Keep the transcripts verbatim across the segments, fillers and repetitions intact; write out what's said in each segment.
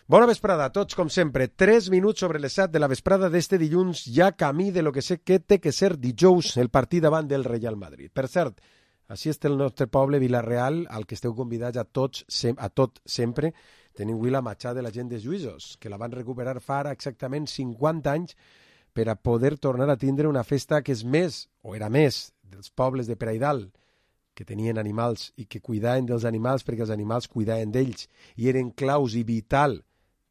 Bona vesprada a tots, com sempre. Tres minuts sobre les set de la vesprada d'este dilluns, ja camí de lo que sé que té que ser dijous, el partit davant del Real Madrid. Per cert, així està el nostre poble Vila-real, al que esteu convidats a tots, a tot sempre. Tenim avui la matxà de la gent de Lluïsos, que la van recuperar fa ara exactament cinquanta anys per a poder tornar a tindre una festa que és més, o era més, dels pobles de Peraidal, que tenien animals i que cuidaven dels animals perquè els animals cuidaven d'ells i eren claus i vital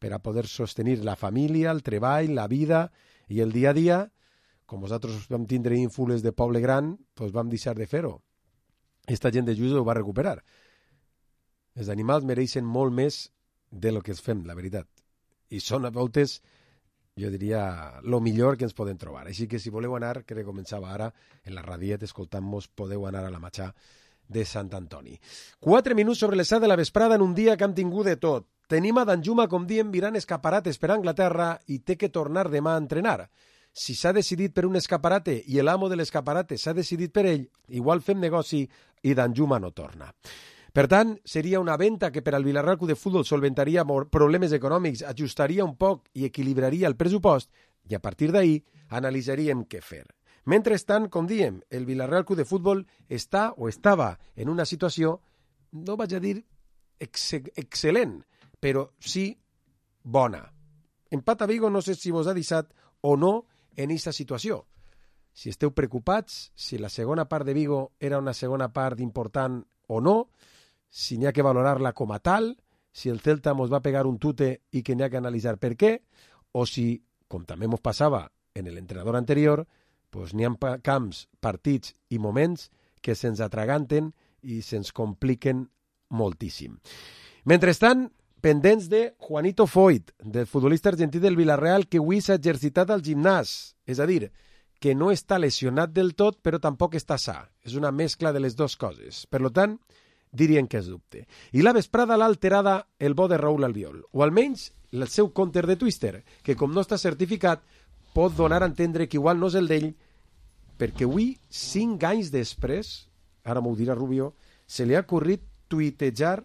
per a poder sostenir la família, el treball, la vida i el dia a dia. Com vosaltres vam tindre ínfules de poble gran, doncs vam deixar de fer-ho. Esta gent de Lluïsos ho va recuperar. Els animals mereixen molt més de lo que es fem, la veritat. I són a voltes, jo diria, lo millor que ens podem trobar. Així que si voleu anar, que començava ara, en la radiet, escoltant-nos, podeu anar a la matxà de Sant Antoni. Quatre minuts sobre les set de la vesprada en un dia que hem tingut de tot. Tenim a Danjuma, com diem, virant escaparates per Anglaterra i té que tornar demà a entrenar. Si s'ha decidit per un escaparate i l'amo de l'escaparate s'ha decidit per ell, igual fem negoci i Danjuma no torna. Per tant, seria una venta que per al Villarreal Club de Futbol solventaria problemes econòmics, ajustaria un poc i equilibraria el pressupost i a partir d'ahir analitzaríem què fer. Mentrestant, com diem, el Villarreal Club de Futbol està o estava en una situació, no vaig a dir ex excel·lent, però sí bona. Empat a Vigo no sé si vos ha deixat o no en aquesta situació. Si esteu preocupats, si la segona part de Vigo era una segona part important o no, si n'hi ha que valorar-la com a tal, si el Celta mos va pegar un tute i que n'hi ha que analitzar per què, o si, com també mos passava en l'entrenador anterior, pues n'hi ha camps, partits i moments que se'ns atraganten i se'ns compliquen moltíssim. Mentrestant, pendents de Juanito Foyt, del futbolista argentí del Villarreal, que avui s'ha exercitat al gimnàs, és a dir, que no està lesionat del tot, però tampoc està sa. És una mescla de les dues coses. Per tant, dirien que és dubte. I la vesprada l'ha alterada el bo de Raúl Albiol, o almenys el seu compte de Twitter, que com no està certificat, pot donar a entendre que igual no és el d'ell, perquè avui, cinc anys després, ara m'ho dirà Rubio, se li ha ocorrit tuitejar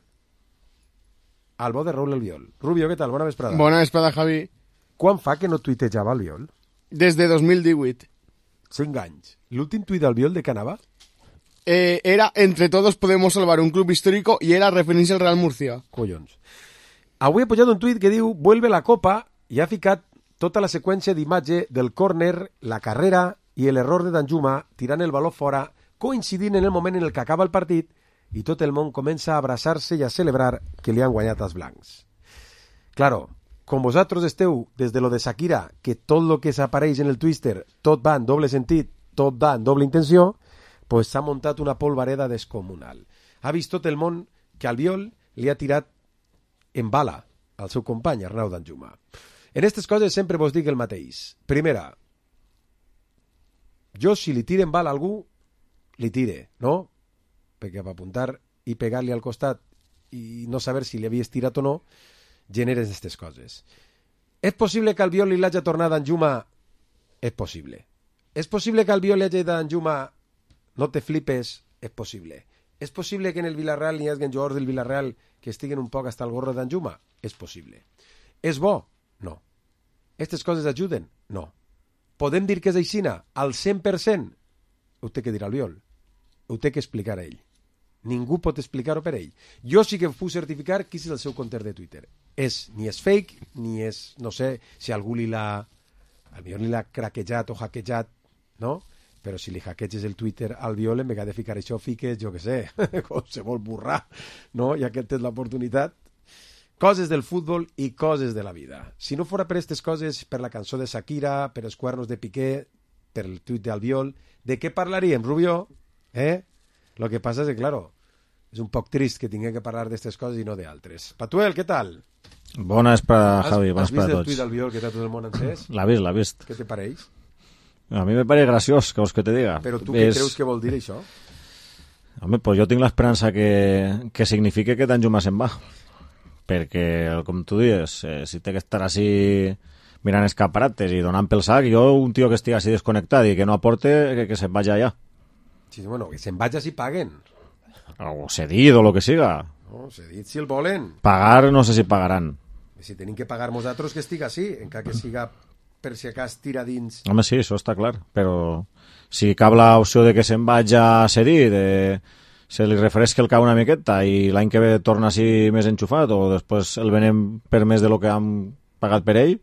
al bo de Raúl Albiol. Rubio, què tal? Bona vesprada. Bona vesprada, Javi. Quan fa que no tuitejava Albiol? Des de dos mil divuit. Cinc anys. L'últim tuit d'Albiol de què anava? Eh, era entre todos podemos salvar un club histórico y era referència al Real Murcia. Collons. Avui he pujat un tuit que diu vuelve la copa i ha ficat tota la seqüència d'imatge del córner, la carrera i l'error de Danjuma tirant el baló fora, coincidint en el moment en el que acaba el partit i tot el món comença a abraçar-se i a celebrar que li han guanyat els blancs. Claro, com vosaltres esteu des de lo de Shakira, que tot lo que s'apareix en el Twitter, tot va en doble sentit, tot va en doble intenció, pues s'ha muntat una polvareda descomunal. Ha vist tot el món que Albiol li ha tirat en bala al seu company, Arnau Danjuma. En aquestes coses sempre vos dic el mateix. Primera, jo si li tire en bala a algú, li tire, no? Perquè per apuntar i pegar-li al costat i no saber si li havies tirat o no, generes aquestes coses. És possible que Albiol li l'hagi tornat a Danjuma? És possible. És possible que Albiol li hagi dit a Danjuma no te flipes? És possible. És possible que en el Villarreal n'hi hagi jugadors del Villarreal que estiguen un poc hasta el gorro de Danjuma? És possible. És bo? No. Aquestes coses ajuden? No. Podem dir que és aixina? Al cent per cent? Ho té que dir Albiol. Ho té que explicar a ell. Ningú pot explicar-ho per ell. Jo sí que puc certificar qui és el seu compte de Twitter. És, ni és fake, ni és, no sé, si algú li l'ha, a millor li l'ha craquejat o hackejat, no? Però si li hackeges el Twitter al Albiol, en vegada de ficar això, fiques, jo què sé, qualsevol burrà, no? Ja que tens l'oportunitat. Coses del futbol i coses de la vida. Si no fora per aquestes coses, per la cançó de Shakira, per els cuernos de Piqué, per el tuit d'Albiol, de què parlaríem, Rubio? Eh? Lo que passa és que, claro, és un poc trist que tinguem que parlar d'aquestes coses i no d'altres. Patuel, què tal? Bona vesprada, Javi, bona vesprada a tots. Has vist el tuit d'Albiol que està tot el món encès? L'ha vist, l'ha vist. Què te pareix? A mi me pareix graciós, que vols que te diga. Però tu què creus que vol dir això? Home, pues jo tinc l'esperança que, que signifique que Danjuma se'n va. Perquè, com tu dius, eh, si té que estar així mirant escaparates i donant pel sac, jo un tio que estigui així desconnectat i que no aporte, que, que se'n vagi allà. Sí, bueno, que se'n vagi si paguen. O cedit o lo que siga. No, cedit si el volen. Pagar no sé si pagaran. Si tenim que pagar nosaltres que estiga així, encara que siga per si acas tira dins. Home, sí, això està clar, però si cap l'opció de que se'n vagi a cedir, de se li refresca el cap una miqueta i l'any que ve torna així més enxufat o després el venem per més de lo que hem pagat per ell,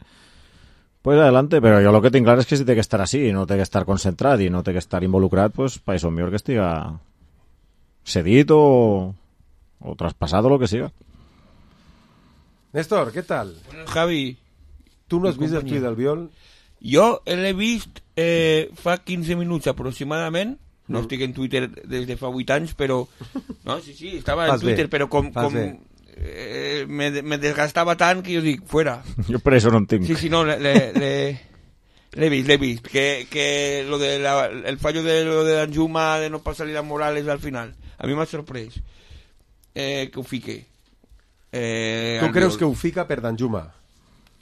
pues adelante, però jo el que tinc clar és que si té que estar així, no té que estar concentrat i no té que estar involucrat, pues per això millor que estiga cedit o, o traspassat o el que siga. Néstor, ¿qué tal? Bueno, Javi, ¿tú no has visto el tuit del Biol? Jo l'he vist eh, fa quinze minuts aproximadament. No Mm. estic en Twitter des de fa vuit anys, però... No, sí, sí, estava Fas en Twitter, bé, però com, fas com bé. eh, me, me desgastava tant que jo dic, fuera. Jo per això no en tinc. Sí, sí, no, le, le, le, l'he vist, l'he vist. Que, que lo de la, el fallo de lo de Danjuma de no passar-li a Morales al final, a mi m'ha sorprès eh, que ho fique. Eh, Tu al creus Biol. que ho fica per Danjuma?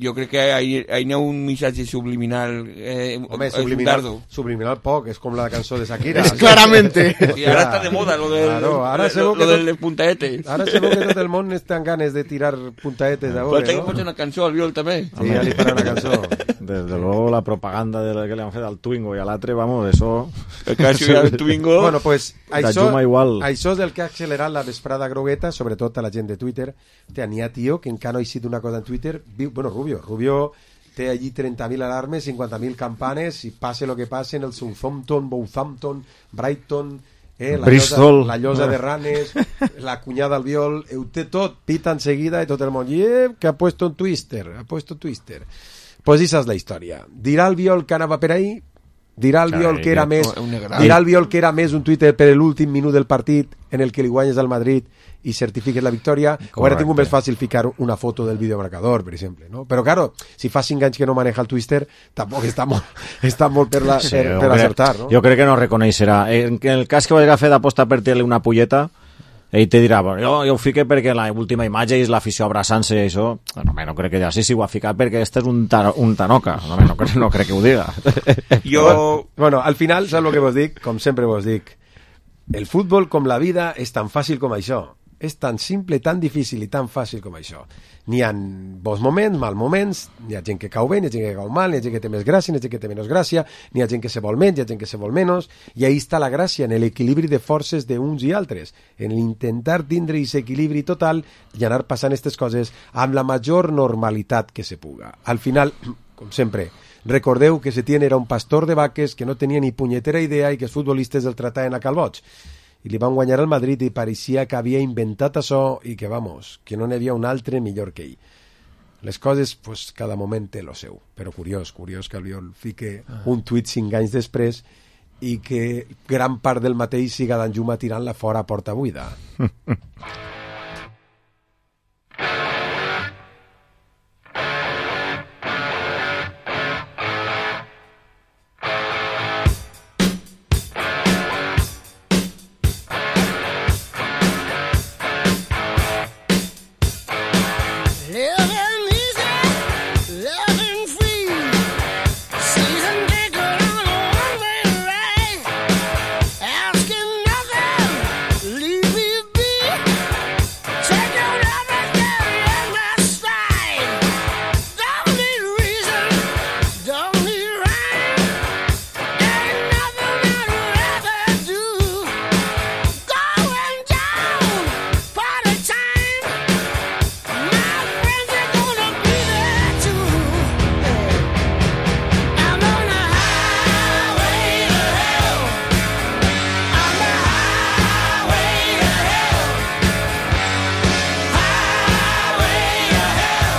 Jo crec que hi ha un missatge subliminal. Eh, Home, és un subliminal, dardo. subliminal poc, és com la cançó de Shakira. Es claramente. Sí, ara està de moda lo, del, Claro, ara lo, segur lo, que lo tot- dels puntaetes. Ara segur que tot el món està en ganes de tirar puntaetes Però d'ahora, té que no? posar una cançó al Biol també. Sí, ja li farà una cançó. Desde luego la propaganda de la que le han fet al Twingo i a l'altre, vamos, eso... El cas del Twingo. Bueno, pues, això, Danjuma igual. això és el que ha accelerat la vesprada grogueta, sobretot a la gent de Twitter. Hòstia, n'hi ha tio que encara no ha eixit una cosa en Twitter. Viu, bueno, Rubio. Rubio té allí trenta mil alarmes, cinquanta mil campanes, i passe el que passe en el Southampton, Bouthampton, Brighton, eh, la, Bristol. llosa, la llosa de Ranes, la cunyada al Biol, ho té tot, pita enseguida i tot el món. I eh, que ha puesto un twister, ha puesto twister. Pues esa és la història. Dirà el Biol que anava per ahí? Dirà el Sí, Biol que era no, més un negre. dirà el Biol que era més un Twitter per l'últim minut del partit en el que li guanyes al Madrid i certifiques la victòria, o ara tinc un més fàcil ficar una foto del videomarcador, per exemple, no? Però claro, si fa cinc anys que no maneja el Twister, tampoc està molt, està molt per, la, Sí, per, jo per crec- acertar, no? Jo crec que no reconeixerà. En el cas que vagi a fer d'aposta per tirar-li una pulleta, ell te dirà, bueno, jo, jo ho fique perquè la última imatge és l'afició abraçant-se i això. No, no crec que ja sí, sí, ho ha ficat perquè este és un, ta un tanoca. No, no, crec, no crec que ho diga. Jo... Bueno, al final, saps el que vos dic? Com sempre vos dic, el futbol, com la vida, és tan fàcil com això. És tan simple, tan difícil i tan fàcil com això. N'hi ha bons moments, mal moments, n'hi ha gent que cau bé, n'hi ha gent que cau mal, n'hi ha gent que té més gràcia, n'hi ha gent que té menys gràcia, n'hi ha gent que se vol menys, n'hi ha gent que se vol menys, i ahí està la gràcia, en l'equilibri de forces d'uns i altres, en l'intentar tindre aquest equilibri total i anar passant aquestes coses amb la major normalitat que se puga. Al final, com sempre, recordeu que Setién era un pastor de vaques que no tenia ni punyetera idea i que els futbolistes el trataven a calboig. I li van guanyar al Madrid i pareixia que havia inventat això i que, vamos, que no n'hi havia un altre millor que ell. Les coses, pues, cada moment té lo seu. Però curiós, curiós que el Biol fique un tuit cinc anys després i que gran part del mateix siga Danjuma tirant-la fora a porta buida. Living easy, living free. Season ticket on a one-way ride. Asking nothing, leave me be. Take your everything in my stride. Don't need reason, don't need rhyme. Ain't nothing I'd rather do. Going down, party time. My friends are gonna be there too. I'm on the highway to hell. On the highway to hell. Highway to hell.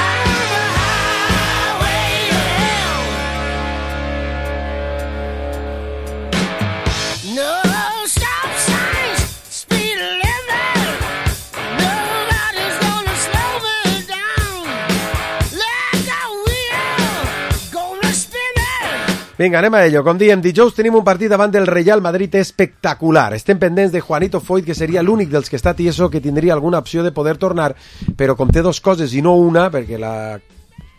I'm on the highway to hell. No stop signs, speed limit. Nobody's gonna slow me down. Like a wheel, gonna spin it. Vinga, anem a ello. Com diem, dijous tenim un partit davant del Real Madrid espectacular. Estem pendents de Juanito Foyt, que seria l'únic dels que està tieso que tindria alguna opció de poder tornar, però com té dos coses i no una, perquè la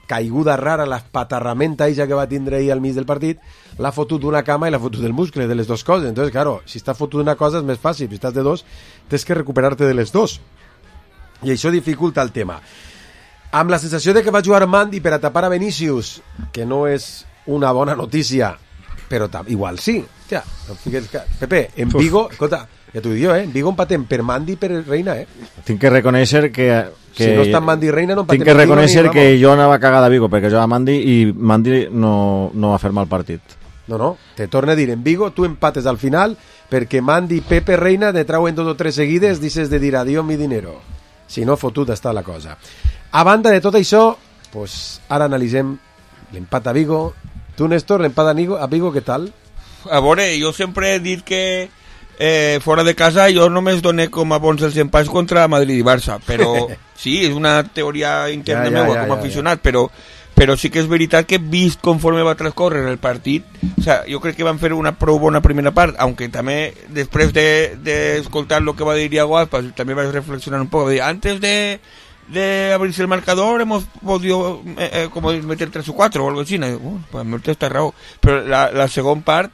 caiguda rara, la patarramenta eixa que va tindre ahir al mig del partit, l'ha fotut d'una cama i l'ha fotut del muscle, de les dues coses. Entonces, claro, si està fotut d'una cosa és més fàcil, si estàs de dos, tens que recuperar-te de les dos. I això dificulta el tema. Amb la sensació de que va jugar Mandi per a tapar a Vinícius, que no és una bona notícia, però ta- igual sí. Hòstia, no fiques que... Pepe, en Vigo, escolta, ja t'ho dic jo, eh? En Vigo empatem per Mandi i per Reina, eh? Tinc que reconèixer que... que Si no està Mandi i Reina, no empatem Tinc que en Vigo reconèixer ni, que vamos. jo anava cagada a Vigo, perquè jo a Mandi i Mandi no, no va fer mal partit. No, no, te torno a dir, en Vigo tu empates al final perquè Mandi, Pepe, Reina te trauen dos o tres seguides, dices de dir adiós mi dinero. Si no, fotuda està la cosa. A banda de tot això, pues, ara analitzem l'empat a Vigo. Tu, Néstor, l'empat a Vigo, a Vigo, què tal? A veure, jo sempre he dit que eh, fora de casa jo només doné com a bons els empats contra Madrid i Barça, però sí, és una teoria interna Ja, ja, meua ja, com a ja, aficionat, però però sí que és veritat que vist conforme va transcórrer el partit, o sea, jo crec que van fer una prou bona primera part, aunque també després de, de escoltar lo que va dir Iago Aspas, també vaig reflexionar un poc, de, antes de, de abrirse el marcador hemos podido eh, eh, como meter tres o cuatro o algo así, no, uh, pues me està raó, però la, la segon part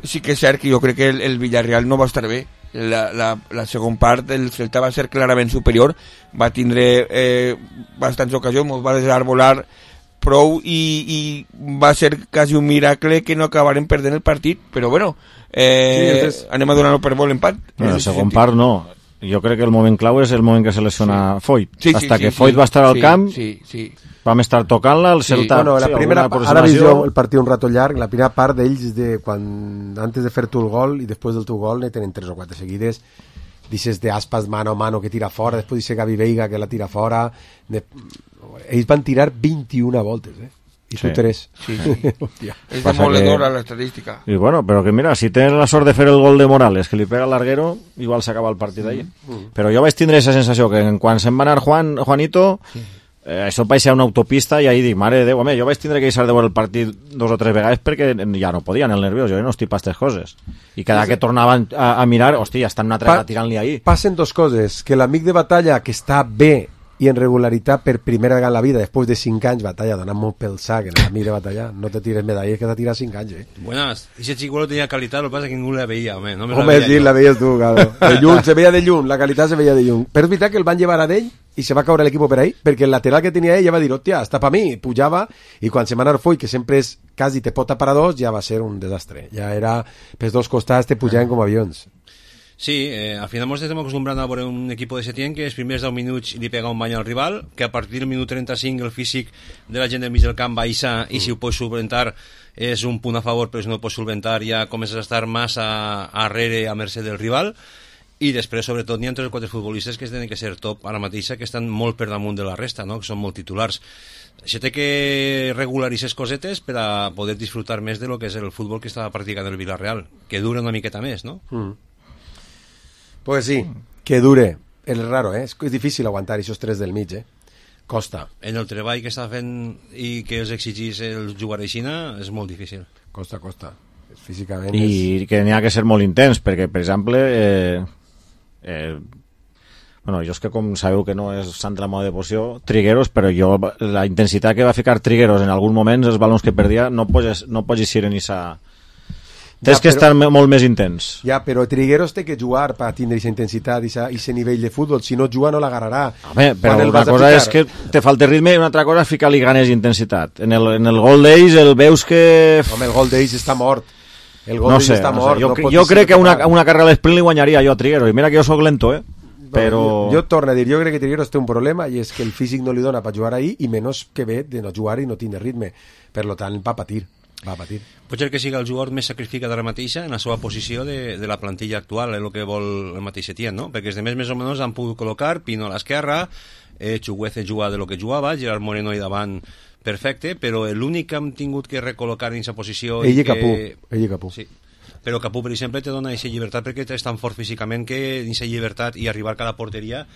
sí que és cert que jo crec que el, el Villarreal no va estar bé. La, la, la segona part el Celta va ser clarament superior, va tindre eh, bastants ocasions, ens va desarbolar prou i, i va ser quasi un miracle que no acabaren perdent el partit, però bueno, eh, Sí, és... anem a donar-lo per bo l'empat. No, la segona part no. Jo crec que el moment clau és el moment que se lesiona sí. Foyt. Sí, sí, Hasta sí, que sí, Foyt sí, va estar al sí, camp, sí, sí. vam estar tocant-la, el Sí. Celta... Bueno, la sí, primera, alguna ara vist jo aproximació. el partit un rato llarg, la primera part d'ells de quan, antes de fer tu el gol i després del teu gol ne tenen tres o quatre seguides, dices de Aspas mano a mano que tira fora, després dice Gavi Veiga que la tira fora, de... ells van tirar vint-i-una voltes, eh? I Sí. tu tres. Sí, sí. Hòstia. És Passa demoledora que- l'estadística. I bueno, però que mira, si tens la sort de fer el gol de Morales, que li pega al larguero, igual s'acaba el partit ahí. Mm. Però jo vaig tindre aquesta sensació que quan se'n va anar Juan, Juanito, eh, això parecía una autopista i ahí dic, mare de Déu, home, jo vaig tindre que deixar de veure el partit dos o tres vegades perquè ja no podien, el nerviós, jo no estic pa aquestes coses. I cada que tornaven a, a mirar, hòstia, estan una altra Pa- vegada tirant-li ahí. Passen dos coses, que l'amic de Batalla, que està bé i en regularitat per primera vegada en la vida, després de cinc anys, Batalla, donant molt pel sac, en l'amic de Batalla, no te tires medalles que t'ha tirat cinc anys, eh? Buenas. Ese chico tenía calidad, lo que pasa es que ninguno la veía, hombre. No me la Home, veía sí, yo. la veies tu, claro. De lluny, se veia de lluny, la qualitat se veia de lluny. Però és veritat que el van llevar a d'ell i se va caure l'equip per ahí, perquè el lateral que tenia ell ja va dir, hòstia, està pa mi, pujava, i quan se va anar Foy, que sempre és quasi te pot tapar a dos, ja va ser un desastre. Ja era, pels dos costats te pujaven com avions. Sí, eh, al final ens estem acostumbrant a veure un equip de Setién que els primers deu minuts li pega un bany al rival, que a partir del minut trenta-cinc el físic de la gent del mig del camp baixa i si ho pots solventar és un punt a favor, però si no ho pots solventar ja comences a estar massa arrere a mercè del rival. I després, sobretot, n'hi ha tres o quatre futbolistes que tenen que ser top ara mateixa, que estan molt per damunt de la resta, no? Que són molt titulars. Això té que regularitzar cosetes per a poder disfrutar més de lo que és el futbol que està practicant el Villarreal, que dura una miqueta més, no? Mm. Pues sí, que dure. És raro, eh? És, és difícil aguantar aquests tres del mig, eh? Costa, En el treball que està fent i que els exigís el jugar a Xina és molt difícil. costa, costa. Físicament és... I que n'hi ha que ser molt intens, perquè, per exemple, eh, eh, bueno, jo és que com sabeu que no és sant de la moda devoció, Trigueros, però jo, la intensitat que va ficar Trigueros en algun moment, els balons que perdia, no pots, no pots eixir ni sa... Tens Ja, que però- estar me- molt més intens. Ja, però Trigueros té que jugar per tindre aquesta intensitat i aquest nivell de futbol. Si no juga no l'agarrarà. Home, però Quan el una vas a cosa ficar- és que te falta ritme i una altra cosa és ficar-li ganes i intensitat. En el, en el gol d'ells el veus que... Home, el gol d'ells està mort. El gol No d'ells sé, està no mort. sé. Jo, no cre- pot jo ser crec que una, total. una carrera a l'esprint li guanyaria jo a Trigueros. I mira que jo sóc lento, eh? Però... Jo, jo torno a dir, jo crec que Trigueros té un problema i és que el físic no li dona per jugar ahí i menys que ve de no jugar i no tindre ritme. Per lo tant, va patir. Va patir. Pot ser que sigui el jugador més sacrificat ara mateixa en la seva posició de, de la plantilla actual, és el que vol el mateix Setién, no? Perquè els demés més o menys han pogut col·locar Pino a l'esquerra, eh, Chuguece juga de lo que jugava, Gerard Moreno i davant perfecte, però l'únic que hem tingut que recol·locar en aquesta posició... Ell i que... Capú. Ell i Capú. Sí. Però Capú, per exemple, te dona aquesta llibertat perquè és tan fort físicament que aquesta llibertat i arribar a cada porteria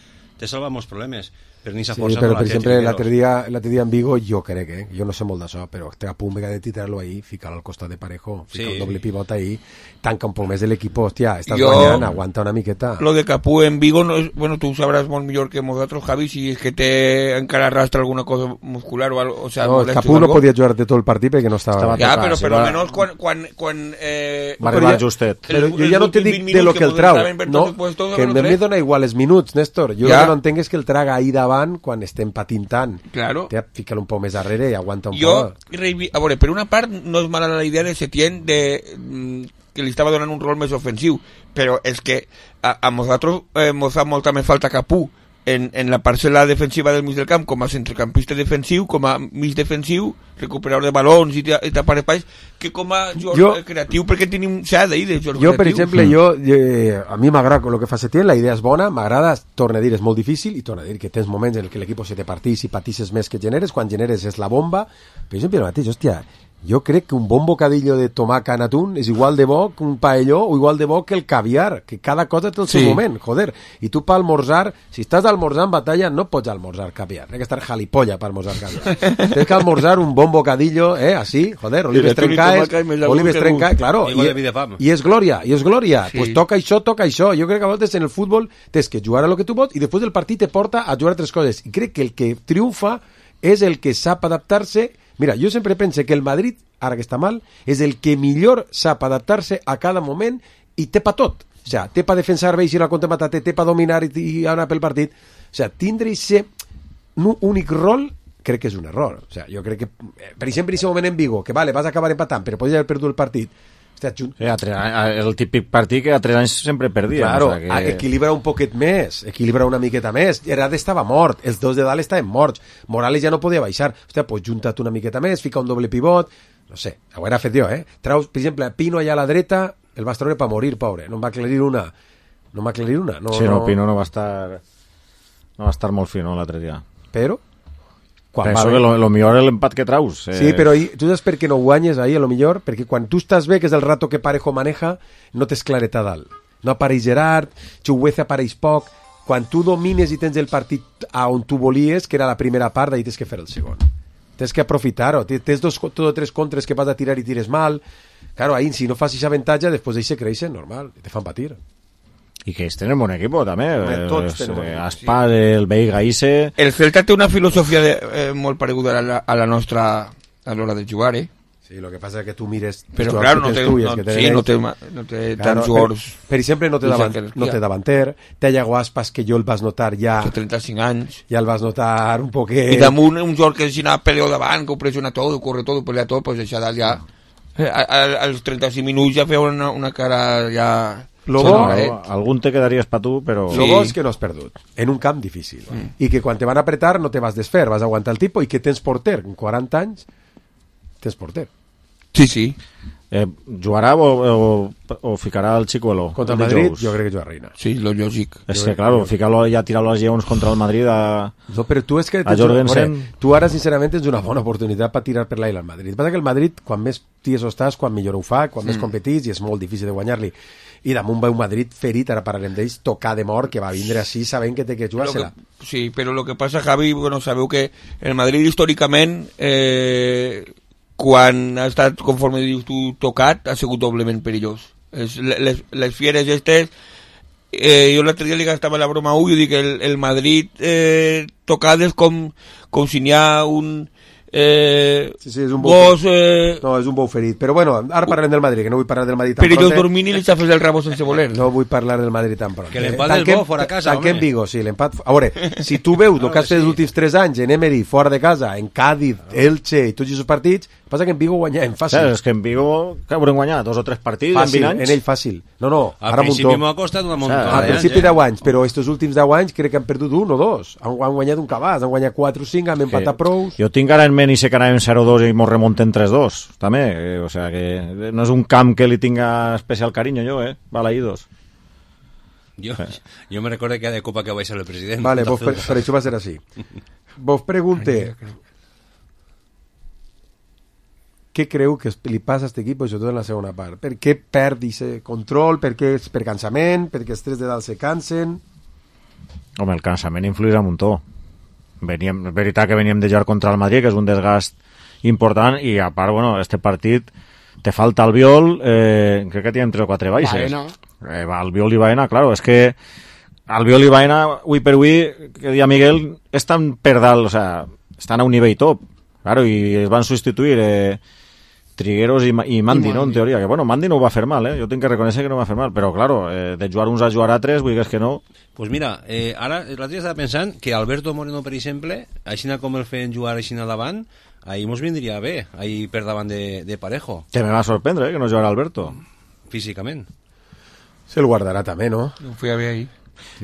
te salva molts problemes. Però ni Sí, força però no la per té exemple Trigueros. l'altre dia, l'altre dia en Vigo jo crec, eh? Jo no sé molt d'això, però té a punt de tirar-lo ahí, ficar al costat de Parejo, ficar Sí. el doble pivot ahí, tanca un poc més de l'equip, hòstia, estàs Jo- guanyant, aguanta una miqueta. Lo de Capú en Vigo, no es, bueno, tú sabrás más mejor que nosotros, Javi, si es que te encara arrastra alguna cosa muscular o algo, o sea, No, el molestia Capú o no algo. podia jugar de tot el partit perquè no estava... Estava Ja, tocar, però sí, per va- almenys quan, quan, quan eh, Va Però arribar ja- justet. Però Els- jo ja els no te últims dic vint de lo minuts que el que trau, estaven per no? tots puestos, Que no a mi sé. dona igual els minuts, Néstor. Jo Ja. el que no entenc és que el traga ahí davant davant quan estem patint tant. Claro. Té, fica-lo un poc més darrere i aguanta un Jo, poc. reivi- a veure, per una part no és mala la idea de Setién de, mm, que li estava donant un rol més ofensiu, però és que a, a nosaltres eh, mos fa molta més falta Capú en, en la parcel·la defensiva del mig del camp com a centrecampista defensiu, com a mig defensiu, recuperador de balons i, i tapar espais, que com a jugador Jo- creatiu, perquè tenim s'ha d'ahir de jugador Jo, per creatiu. exemple, jo, eh, a mi m'agrada el que fa Setién, la idea és bona, m'agrada, torna a dir, és molt difícil, i torna a dir que tens moments en què l'equip se te partís i patisses més que generes, quan generes és la bomba, però jo sempre el mateix, hòstia, jo crec que un bon bocadillo de tomaca en atún és igual de bo que un paelló o igual de bo que el caviar, que cada cosa té el seu Sí. moment, joder, i tu per almorzar, si estàs almorzar en batalla, no pots almorzar caviar, tens que estar jalipolla per almorzar caviar, tens que almorzar un bon bocadillo, eh, así, joder, olives atún i trencaes, tomaca i més agut olives que trencaes, gust. claro, Igual i, de vida fam. i és glòria, i és glòria, Sí. pues toca això, toca això, jo crec que a vegades en el futbol tens que jugar a lo que tu vols i després del partit te porta a jugar a tres coses, i crec que el que triomfa és el que sap adaptar-se. Mira, jo sempre pense que el Madrid, ara que està mal, és el que millor sap adaptar-se a cada moment i té pa tot. O sea, té pa defensar bé i si la contramatar, té pa dominar i, i anar pel partit. O sea, tindre ese únic rol crec que és un error. O sea, jo crec que, eh, per exemple, en aquest moment en Vigo, que vale, vas acabar empatant, però podries haver perdut el partit. Hòstia, junt, Sí, a tres, a- el típic partit que a tres anys sempre perdia. Claro, o sea a- que... equilibra un poquet més, equilibra una miqueta més. Herade estava mort, els dos de dalt estaven morts, Morales ja no podia baixar. Hòstia, pues junta't una miqueta més, fica un doble pivot, no sé, ho era fet jo, eh? Traus, per exemple, Pino allà a la dreta, el vas treure per morir, pobre, no em va aclarir una. No em va aclarir una. No, Sí, no, Pino no va estar no va estar molt fi, no, l'altre dia. Però, quan Penso va que bé... lo, lo millor és l'empat que traus. Eh, Sí, però ahí, tu saps per què no guanyes ahí, a lo millor? Perquè quan tu estàs bé, que és el rato que Parejo maneja, no tens clareta a dalt. No apareix Gerard, Chugueza apareix poc. Quan tu domines i tens el partit a on tu volies, que era la primera part, ahí tens que fer el segon. Tens que aprofitar-ho. Tens dos tot o tres contres que vas a tirar i tires mal. Claro, ahí, si no fas aquesta avantatge, després d'ahí se creixen, normal, i te fan patir. I que ells tenen bon equip, també. Home, tots Eh, tenen bon equip, Aspar, el Veiga, Ise... El Celta té una filosofia de, eh, molt pareguda a la, a la nostra a l'hora de jugar, eh? Sí, lo que passa és que tu mires... Però, els clar, jugadors no que té, tens tu i els no, que tenen sí, no ells. té, ma- no té Claro, tants per, jugadors per exemple, no té, Luis davant, Ángel, no ja. té davanter, té Iago Aspas, que jo el vas notar ja, de trenta-cinc anys. ja el vas notar un poquet... I damunt un jugador que si anava peleo davant, que ho pressiona tot, ho corre tot, ho pelea tot, pues això dalt ja... eh, a- a- Als trenta-cinc minuts ja feia una, una cara ja... Lo Sí, bo, no, eh? algun te quedaries per tu, però... Lo Sí. bo és que no has perdut, en un camp difícil. I que quan te van apretar no te vas desfer, vas aguantar el tipus i que tens porter, en quaranta anys, tens porter. Sí, sí. Eh, jugarà o, o, o ficarà el Chicuelo? Contra el de Madrid, Jous? jo crec que juga Reina. Sí, lo lògic. És que, claro, ficar-lo ja, tirar-lo als lleons contra el Madrid a... No, però tu és que... A Jorgensen. Veure, tu ara, sincerament, tens una bona oportunitat per tirar per l'aire al Madrid. Passa que el Madrid, quan més tieso estàs, quan millor ho fa, quan mm. més competits, i és molt difícil de guanyar-li. I damunt va un Madrid ferit, ara parlarem d'ells, tocar de mort, que va vindre així sabent que té que Lo jugar-se-la. que, sí, però el que passa, Javi, bueno, sabeu que el Madrid històricament, eh, quan ha estat, conforme dius tu, tocat, ha sigut doblement perillós. Es, les, les fieres estes, eh, jo l'altre dia li gastava la broma a un, jo dic, el, el Madrid eh, tocat és com, com si n'hi ha un... Eh, Sí, sí, és un bo gos eh, No, és un bou ferit. Però bueno, ara parlem del Madrid, que no vull parlar del Madrid tan perillós pront. dormint i li xafes el rabo sense voler. No vull parlar del Madrid tan pront. Que l'empat Eh, és bo, fora casa, Tanquem home. Vigo, sí, l'empat... A veure, si tu veus el que has fet els últims tres anys en Emery, fora de casa, en Cádiz, Elche i tots aquests partits, passa que en Vigo guanyem Sí, fàcil. és que en Vigo que haurem guanyat dos o tres partits Fàcil, en vint anys. en ell fàcil. No, no, Al ara principi muntó. m'ho ha costat una muntona. Ah, Al eh, principi eh? deu anys, però estos últims deu anys crec que han perdut un o dos. Han, han guanyat un cabàs, han guanyat quatre o cinc, han empatat prous. Jo tinc ara en ment i sé que anàvem zero dos i mos remontem tres dos, també. Eh, o sea que no és un camp que li tinga especial carinyo jo, eh? Balaïdos. Jo, jo me recordo que de Copa que va ser el president. Vale, vos per, per això va ser així. Vos pregunte què creu que li passa a aquest equip, sobretot en la segona part? Per què perd aquest control? Per què és per cansament? Perquè els tres de dalt se cansen? Home, el cansament influeix a muntó. Veníem, és veritat que veníem de jugar contra el Madrid, que és un desgast important, i a part, bueno, este partit te falta el Viol, eh, crec que tenim tres o quatre baixes. Baena. Eh, va, el Viol i Baena, claro, és que el Viol i Baena, avui per avui, que dia Miguel, estan per dalt, o sea, estan a un nivell top, claro, i es van substituir eh, Trigueros i, i Mandi, I no, en Mandi. teoria, que bueno, Mandi no ho va fer mal, eh? Jo tinc que reconèixer que no ho va fer mal, però claro, eh, de jugar uns a jugar a tres, vull dir que no... Pues mira, eh, ara l'altre dia estava pensant que Alberto Moreno, per exemple, així com el feien jugar així davant, ahí mos vindria bé, ahí per davant de, de Parejo, Que me va sorprendre, eh, que no jugara Alberto. físicament. Se el guardarà també, no? No fui a ver ahí.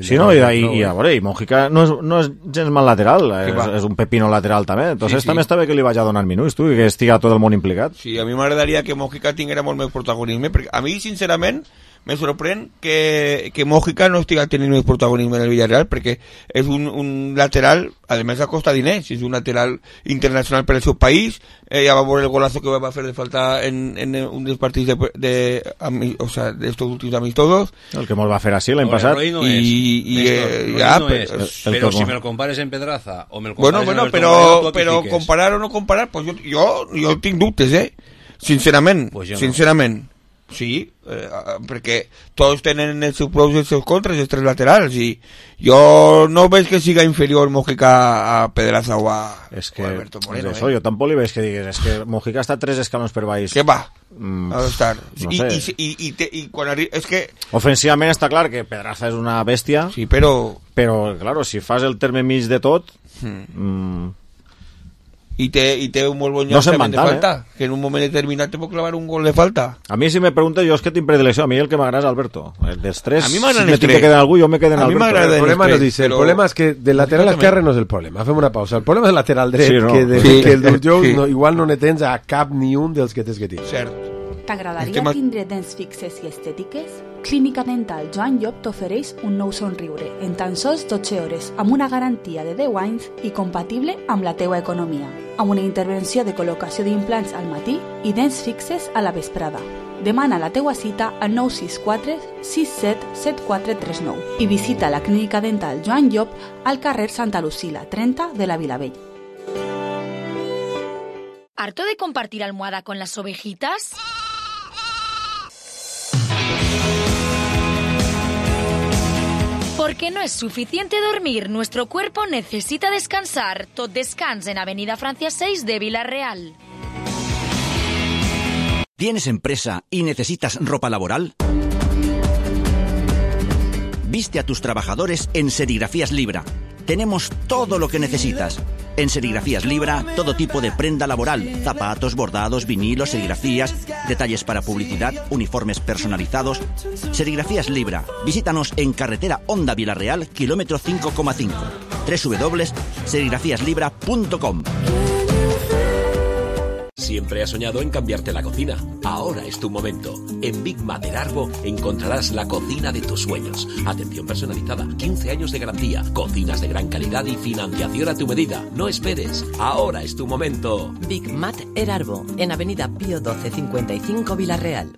Sí, no, i, i, i a veure, i Mojica no és, no és gens mal lateral, és, va? és un pepino lateral també, entonces Sí, sí. també està bé que li vaig a donar minuts, tu, i que estiga tot el món implicat. Sí, a mi m'agradaria que Mojica tinguera molt més protagonisme, perquè a mi, sincerament, me sorprèn que, que Mojica no estiga tenint més protagonisme en el Villarreal, perquè és un, un lateral, a més costa diners, és un lateral internacional per al seu país, eh, ja va veure el golazo que va fer de falta en, en un dels partits de, de, de o sea, d'estos últims amistosos, El que mos va fer així l'any Ahora, passat. Roy no I- és. i, Néstor, eh, Roy ja, no però- és. el- el Però que- si me lo compares en Pedraza o me lo bueno, compares bueno, en Alberto Moreno, però, tu aquí però fiques. comparar o no comparar, pues jo, jo, jo tinc dubtes, eh? Sincerament, Pues jo no. sincerament. Sí, eh, perquè tots tenen els seus pros i els seus contres, els tres laterals, i jo no veig que siga inferior Mojica a Pedraza o a, És que, o a Alberto Moreno, és això, eh? jo tampoc li veig que digues, és que Mojica està tres escalons per baix. Què va? Mm, Ha d'estar. no I, sé. i, i, i, te, i quan arri... És que... Ofensivament està clar que Pedraza és una bèstia, Sí, però... però, claro, si fas el terme mig de tot, Hmm. mm, I té, i té un molt bon No se'n llançament de van tant, falta, que en un moment determinat te pot clavar un gol de falta. a mi si me preguntes, jo és que tinc predilecció, a mi el que m'agrada és Alberto. El dels tres, A mi si m'agraden me els tinc que tres. quedar en algú, jo me quedo en A mi Alberto. m'agrada El de problema los no tres, dice, el però- problema és que del lateral Exactament. esquerre no és el problema. Fem una pausa. El problema és el lateral dret, Sí, no. que, de, Sí. que el del Jou Sí. no, igual no ne tens a cap ni un dels que tens que tindre. Cert. T'agradaria Estem a- tindre dents fixes i estètiques? Clínica Dental Joan Llop t'ofereix un nou somriure en tan sols dotze hores amb una garantia de deu anys i compatible amb la teua economia, amb una intervenció de col·locació d'implants al matí i dents fixes a la vesprada. Demana la teua cita al nou sis quatre sis set set quatre tres nou i visita la Clínica Dental Joan Llop al carrer Santa Lucila trenta de la Vilavella. ¿Harto de compartir almohada con las ovejitas? Porque no es suficiente dormir, nuestro cuerpo necesita descansar. Tot Descans en Avenida Francia seis de Villarreal. ¿Tienes empresa y necesitas ropa laboral? Viste a tus trabajadores en Serigrafías Libra. Tenemos todo lo que necesitas. En Serigrafías Libra, todo tipo de prenda laboral, zapatos, bordados, vinilos, serigrafías, detalles para publicidad, uniformes personalizados. Serigrafías Libra. Visítanos en carretera Honda Villarreal, kilómetro cinco coma cinco. doble u doble u doble u punto serigrafías libra punto com. Siempre has soñado en cambiarte la cocina. Ahora es tu momento. En Big Mater Arbo encontrarás la cocina de tus sueños. Atención personalizada, quince años de garantía, cocinas de gran calidad y financiación a tu medida. No esperes. Ahora es tu momento. Big Mat Erarbo, en Avenida Pío doce cincuenta y cinco Villarreal.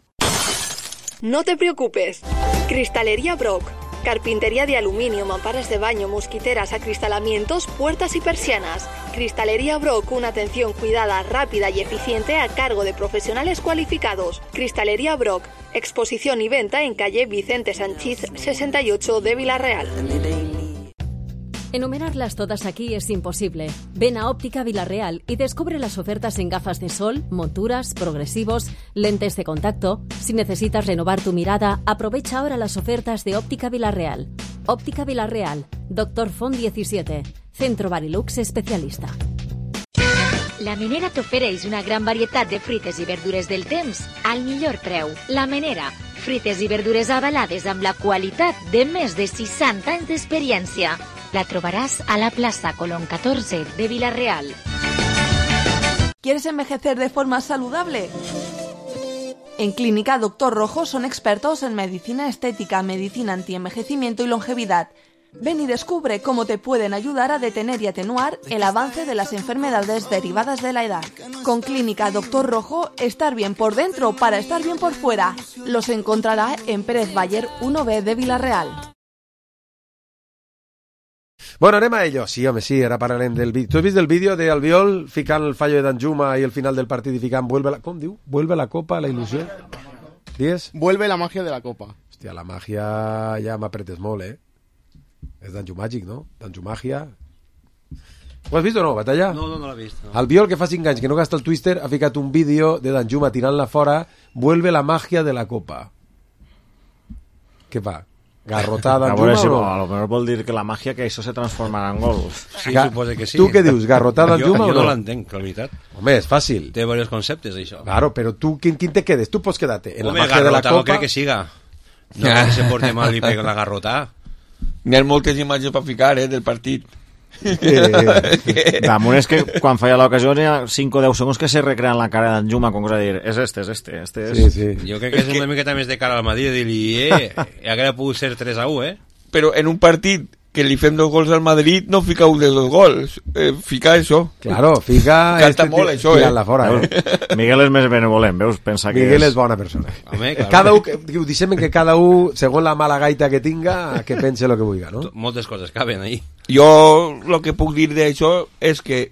No te preocupes. Cristalería Brock. Carpintería de aluminio, mamparas de baño, mosquiteras, acristalamientos, puertas y persianas. Cristalería Brock, una atención cuidada, rápida y eficiente a cargo de profesionales cualificados. Cristalería Brock, exposición y venta en calle Vicente Sanchiz sesenta y ocho de Villarreal. Enumerarlas todas aquí es imposible. Ven a Óptica Villarreal y descubre las ofertas en gafas de sol, monturas, progresivos, lentes de contacto. Si necesitas renovar tu mirada, aprovecha ahora las ofertas de Óptica Villarreal. Óptica Villarreal, Doctor Font diecisiete, Centro Barilux especialista. La Menera t'ofereix una gran varietat de fruites i verdures del temps al millor preu. La Menera, fruites i verdures avalades amb la qualitat de més de seixanta anys d'experiència. La trobaràs a la plaça Colón catorze de Villarreal. ¿Quieres envejecer de forma saludable? En Clínica Doctor Rojo son expertos en medicina estética, medicina antienvejecimiento y longevidad. Ven y descubre cómo te pueden ayudar a detener y atenuar el avance de las enfermedades derivadas de la edad. Con Clínica Doctor Rojo, estar bien por dentro para estar bien por fuera. Los encontrará en Pérez Bayer uno B de Villarreal. Bueno, anem a ello. Sí, home, sí, ara parlarem del vídeo. Tu has vist el vídeo de Albiol ficant el fallo de Danjuma i el final del partit i ficant vuelve la... Com diu? Vuelve la copa, la il·lusió? Dies? Vuelve la magia de la copa. Hòstia, la màgia ja m'apretes molt, eh? És Danjumàgic, no? Danjumagia. Ho has vist o no, Batalla? No, no, no l'he vist. No. Albiol, que fa cinc anys que no gasta el Twister, ha ficat un vídeo de Danjuma tirant-la fora, vuelve la magia de la copa. Què fa? Garrotada A veure Danjuma si o a no? lo mejor vol dir que la màgia que això se transformarà en gol. Sí, Ga- suposa que sí. Tu què dius, garrotada Jo, Danjuma jo o no no? l'entenc, la veritat. Home, és fàcil. Té diversos conceptes, això. Claro, però tu, quin, quin te quedes? Tu pots quedar-te en Home, la magia de la garrota no copa... crec que siga. No crec que se porte mal i pega la garrota. N'hi ha moltes imatges per ficar, eh, del partit. Eh, Damunt és que quan falla l'ocasió hi ha cinc o deu segons que se recrean la cara d'Anjuma com cosa de dir, és este, és este, este és... Sí, sí. Jo crec que és una miqueta més de cara al Madrid, de dir-li, eh, hauria pogut ser tres a u, eh? Però en un partit que li fem dos gols al Madrid no fica un de dos gols, eh, fica això. Claro, fica... Canta este molt, ti- això, eh? tirant-la fora, eh? Miguel és més benevolent, veus? Pensa que Miguel és... és bona persona. Home, clar. Cada un, que- ho deixem que cada un, segons la mala gaita que tinga, que pense el que vulgui, no? Moltes coses caben ahí. Jo el que puc dir d'això és que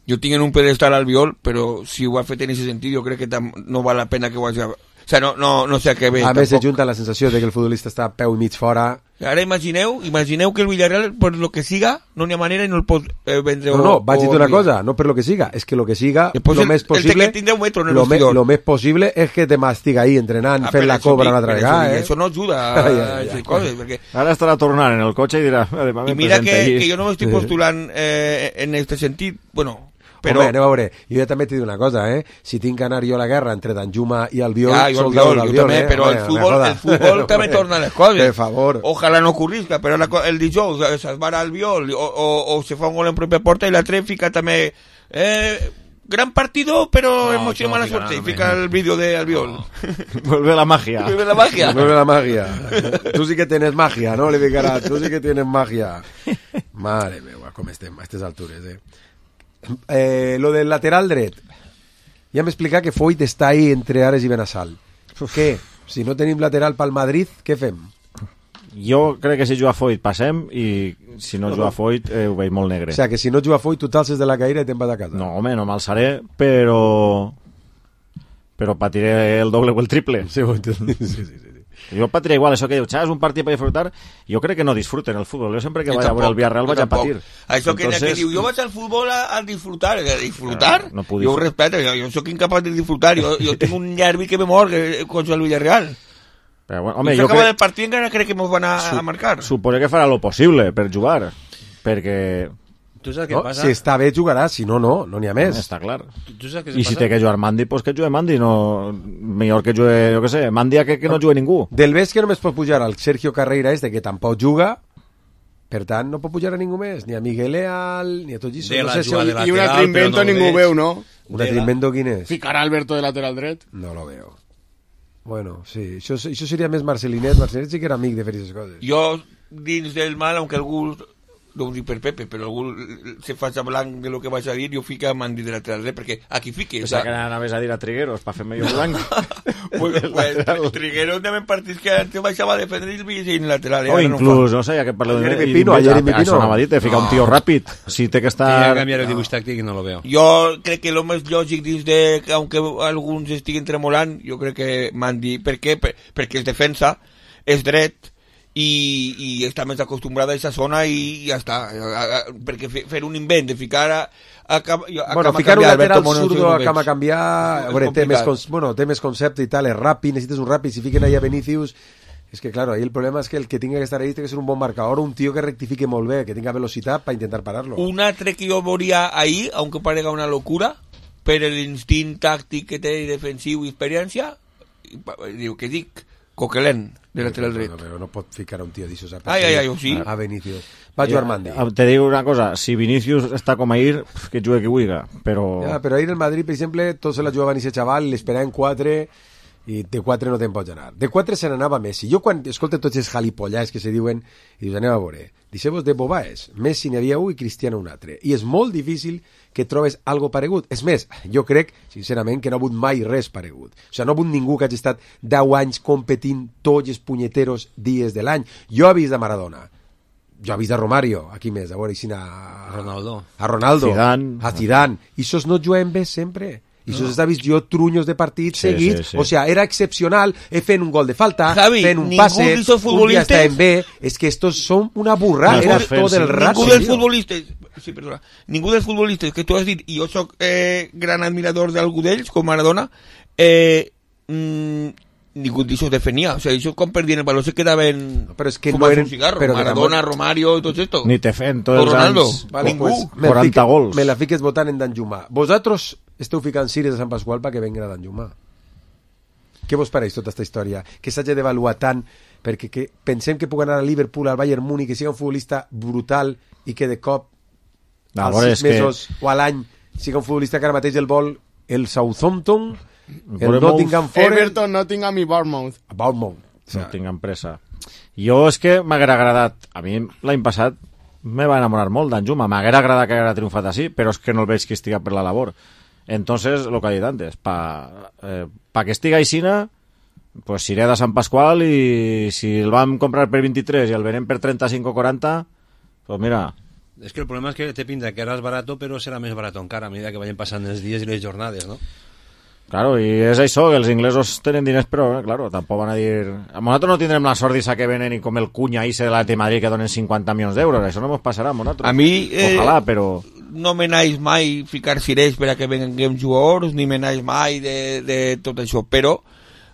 jo tinc en un pedestal al Albiol, però si ho ha fet en aquest sentit jo crec que tam- no val la pena que ho hagi... O sea, no, no, no sé a què ve. A més, se tampoc. junta la sensació de que el futbolista està a peu i mig fora. Ara imagineu, imagineu que el Villarreal, per lo que siga, no n'hi ha manera i no el pot eh, vendre. No, no, o- vaig dir o una enviar. cosa, no per lo que siga, és que lo que siga, Después lo el- més el possible, que tindrà un metro en el lo, me, vestidor. lo més possible és que te m'estiga ahí entrenant, Ah, fent per la això cobra dic, una altra per això vegada, dic, eh? Això no ajuda a Ai, ai, ai, aquestes ai. coses, perquè... Ara estarà tornant en el cotxe i dirà... I mira que, que jo no m'estic postulant eh, en aquest sentit, bueno, però... Home, anem a veure, jo ja també t'he dit una cosa, eh? Si tinc que anar jo a la guerra entre Danjuma i Albiol, Ja, jo, soldado Albiol, jo d'Albiol, també, eh? però Home, el me futbol, joda. el futbol també Home, torna les coses. Per favor. Ojalà no ocorrisca, però la, co- el dijous eh, s'esbarà Albiol o, o, o se fa un gol en pròpia porta i l'altre fica també... Eh, gran partido, però No, emoció això no mala fica suerte. nada, I fica el vídeo de Albiol. Vuelve la magia. Vuelve la magia. Vuelve la magia. Tú sí que tienes magia, ¿no? Le ficarà, tú sí que tienes magia. Mare meva, com estem a aquestes altures, eh? eh lo del lateral dret. Ja m'he explicat que Foyt està ahí entre Ares i Benassal. Què? Si no tenim lateral pel Madrid, què fem? Jo crec que si juga Foyt passem i si no juga Foyt eh, ho veig molt negre. O sea, que si no juga Foyt, tu t'alces de la caïra i te'n vas a casa. No, home, no m'alçaré, però... però patiré el doble o el triple. Sí, ho entenc. Sí, sí, sí. Jo patiré igual, això que diu, és un partit per disfrutar, jo crec que no disfruten el futbol. Jo sempre que Jo vaig a veure el tampoc, Villarreal jo vaig a tampoc. patir. Això que, Entonces, que diu, jo vaig al futbol a, a disfrutar. A disfrutar? No, no puc jo ho disfrutar. respeto, jo, jo soc incapaz de disfrutar. Jo, jo tinc un nervi que me mor eh, contra el Villarreal. Però, bueno, Home, home, jo jo acaba crec... del partit encara crec que mos van a, a marcar. Suposo que farà lo possible per jugar, perquè... Tu saps què No? passa? Si està bé, jugarà. Si no, no. No n'hi ha més. Està clar. Tu, tu saps què I si passa? té que jugar Mandi, pues que jugue Mandi, no... millor que jugue, jo què sé, Mandi a que, que no jugue ningú. Del ves que només pot pujar al Sergio Carreira este, que tampoc juga, per tant, no pot pujar a ningú més, ni a Miguel Leal, ni a tot això. De No la sé si jugada ho- de I lateral, un altre invento però no ningú veig. veu, no? Un altre invento quin és? Ficar a Alberto de lateral dret. No lo veo. Bueno, sí, això, això seria més Marcelinet. Marcelinet sí que era amic de fer aquestes coses. Jo, dins del mal, aunque algú, no ho dic per Pepe, però algú se faci blanc de lo que vaig a dir, jo fica a Mandi de lateral dret, perquè aquí fique. O sea, que anaves a dir a Trigueros per fer medio blanc. pues, pues, Trigueros també en partits que antes baixava a defendre i el en lateral. Eh? O Ara no inclús, no sé, ja que parleu de... Jeremy i Pino, a dic, Jeremy Això Pino. anava a dir, te fica un tio ràpid. Si té que Que ja estar... canviar el dibuix tàctic i no lo veo. Jo crec que el més lògic dins de, aunque alguns estiguin tremolant, jo crec que Mandi, per què? Per, perquè és defensa, és dret, i, i està més acostumbrada a aquesta zona i ja està. A, a, perquè fer, fer un invent de ficar a, a, a, a Bueno, cama ficar un canviar, lateral Alberto Mono, zurdo no a veig. cama canviar, a És veure, té més, complicat. cons, bueno, té més concepte i tal, és ràpid, necessites un ràpid, si fiquen ahí a Vinicius, és que claro, ahí el problema és que el que tinga que estar ahí té que ser un bon marcador, un tio que rectifique molt bé, que tinga velocitat per intentar parar-lo. Un altre que jo veuria ahí, aunque parega una locura, per l'instint tàctic que té defensiu i experiència, i pa- diu que dic, Coquelin, de lateral dret. No, però no pot ficar a un tio d'aixòs a, Ai, ai, ai, ho sí. a Vinicius. Va jugar Mandi. Ja, te dic una cosa, si Vinicius està com ahir, que jugue qui vulgui, però... Ja, però ahir el Madrid, per exemple, tots se la jugaven i ese xaval, l'esperaven quatre i de quatre no te'n pots anar. De quatre se n'anava Messi. Jo quan escolto tots els jalipollars que se diuen, i dius, anem a veure, deixeu-vos de bobaes. Messi n'hi havia un i Cristiano un altre. I és molt difícil que trobes algo paregut. És més, jo crec, sincerament, que no ha hagut mai res paregut. O sigui, no ha hagut ningú que hagi estat deu anys competint tots els punyeteros dies de l'any. Jo he vist a Maradona, jo he vist a Romario, aquí més, a veure, si a... Ronaldo. A Ronaldo. Zidane. A Zidane. I sos no juguen bé sempre. I això s'ha vist jo trunyos de partits Sí, seguits, sí, sí. o sea, era excepcional, eh, fent un gol de falta, Javi, fent un ningú passe, d'esos un dia futbolistes- està en B, és que estos són una burra, No, era ningú- tot el sí. rato. Ningú dels tio. futbolistes, sí, perdona, ningú dels futbolistes que tu has dit, i jo soc eh, gran admirador d'algú d'ells, com Maradona, eh, mm, ningú d'això defenia, o sigui, això com perdien el baló se quedaven Però és que no fumant eren- un cigarro, però que Maradona, Ramon- Romario i tot esto. Ni te fent O tots els Ronaldo. anys Vale, Ningú. pues, me quaranta fique- gols. Me la fiques votant en Danjuma. Vosaltres esteu ficant cires de Sant Pasqual perquè venga Danjuma. Què vos pareix tota aquesta història? Que s'hagi d'avaluar tant perquè que pensem que pugui anar a Liverpool, al Bayern Múnich, que sigui un futbolista brutal i que de cop A als veure, sis és que- mesos o a l'any siga un futbolista que ara mateix el vol el Southampton, el Bournemouth, Nottingham Forest, Everton, Nottingham i Bournemouth. Bournemouth. O No sea, tinc empresa. Jo és que m'haguera agradat, a mi l'any passat me va enamorar molt d'Anjuma, m'haguera agradat que haguera triomfat així, però és que no el veig que estiga per la labor. Entonces, lo que he dit antes, pa, eh, pa que estiga aixina, pues iré de Sant Pasqual i si el vam comprar per vint-i-tres i el venem per trenta-cinc o quaranta, pues mira, Es que el problema es que te pinta que ahora es barato, pero será más barato encara a medida que vayan pasando los días y las jornadas, ¿no? claro, i és això, que els inglesos tenen diners, però, eh, claro, tampoc van a dir... A nosaltres no tindrem la sort d'issa que venen i com el cunya ese de la de Madrid que donen cinquanta milions d'euros, això no ens passarà a nosaltres. A mi, eh, Ojalà, però... no me n'haig mai ficar cirers per a que venguem jugadors, ni me n'haig mai de, de tot això, però,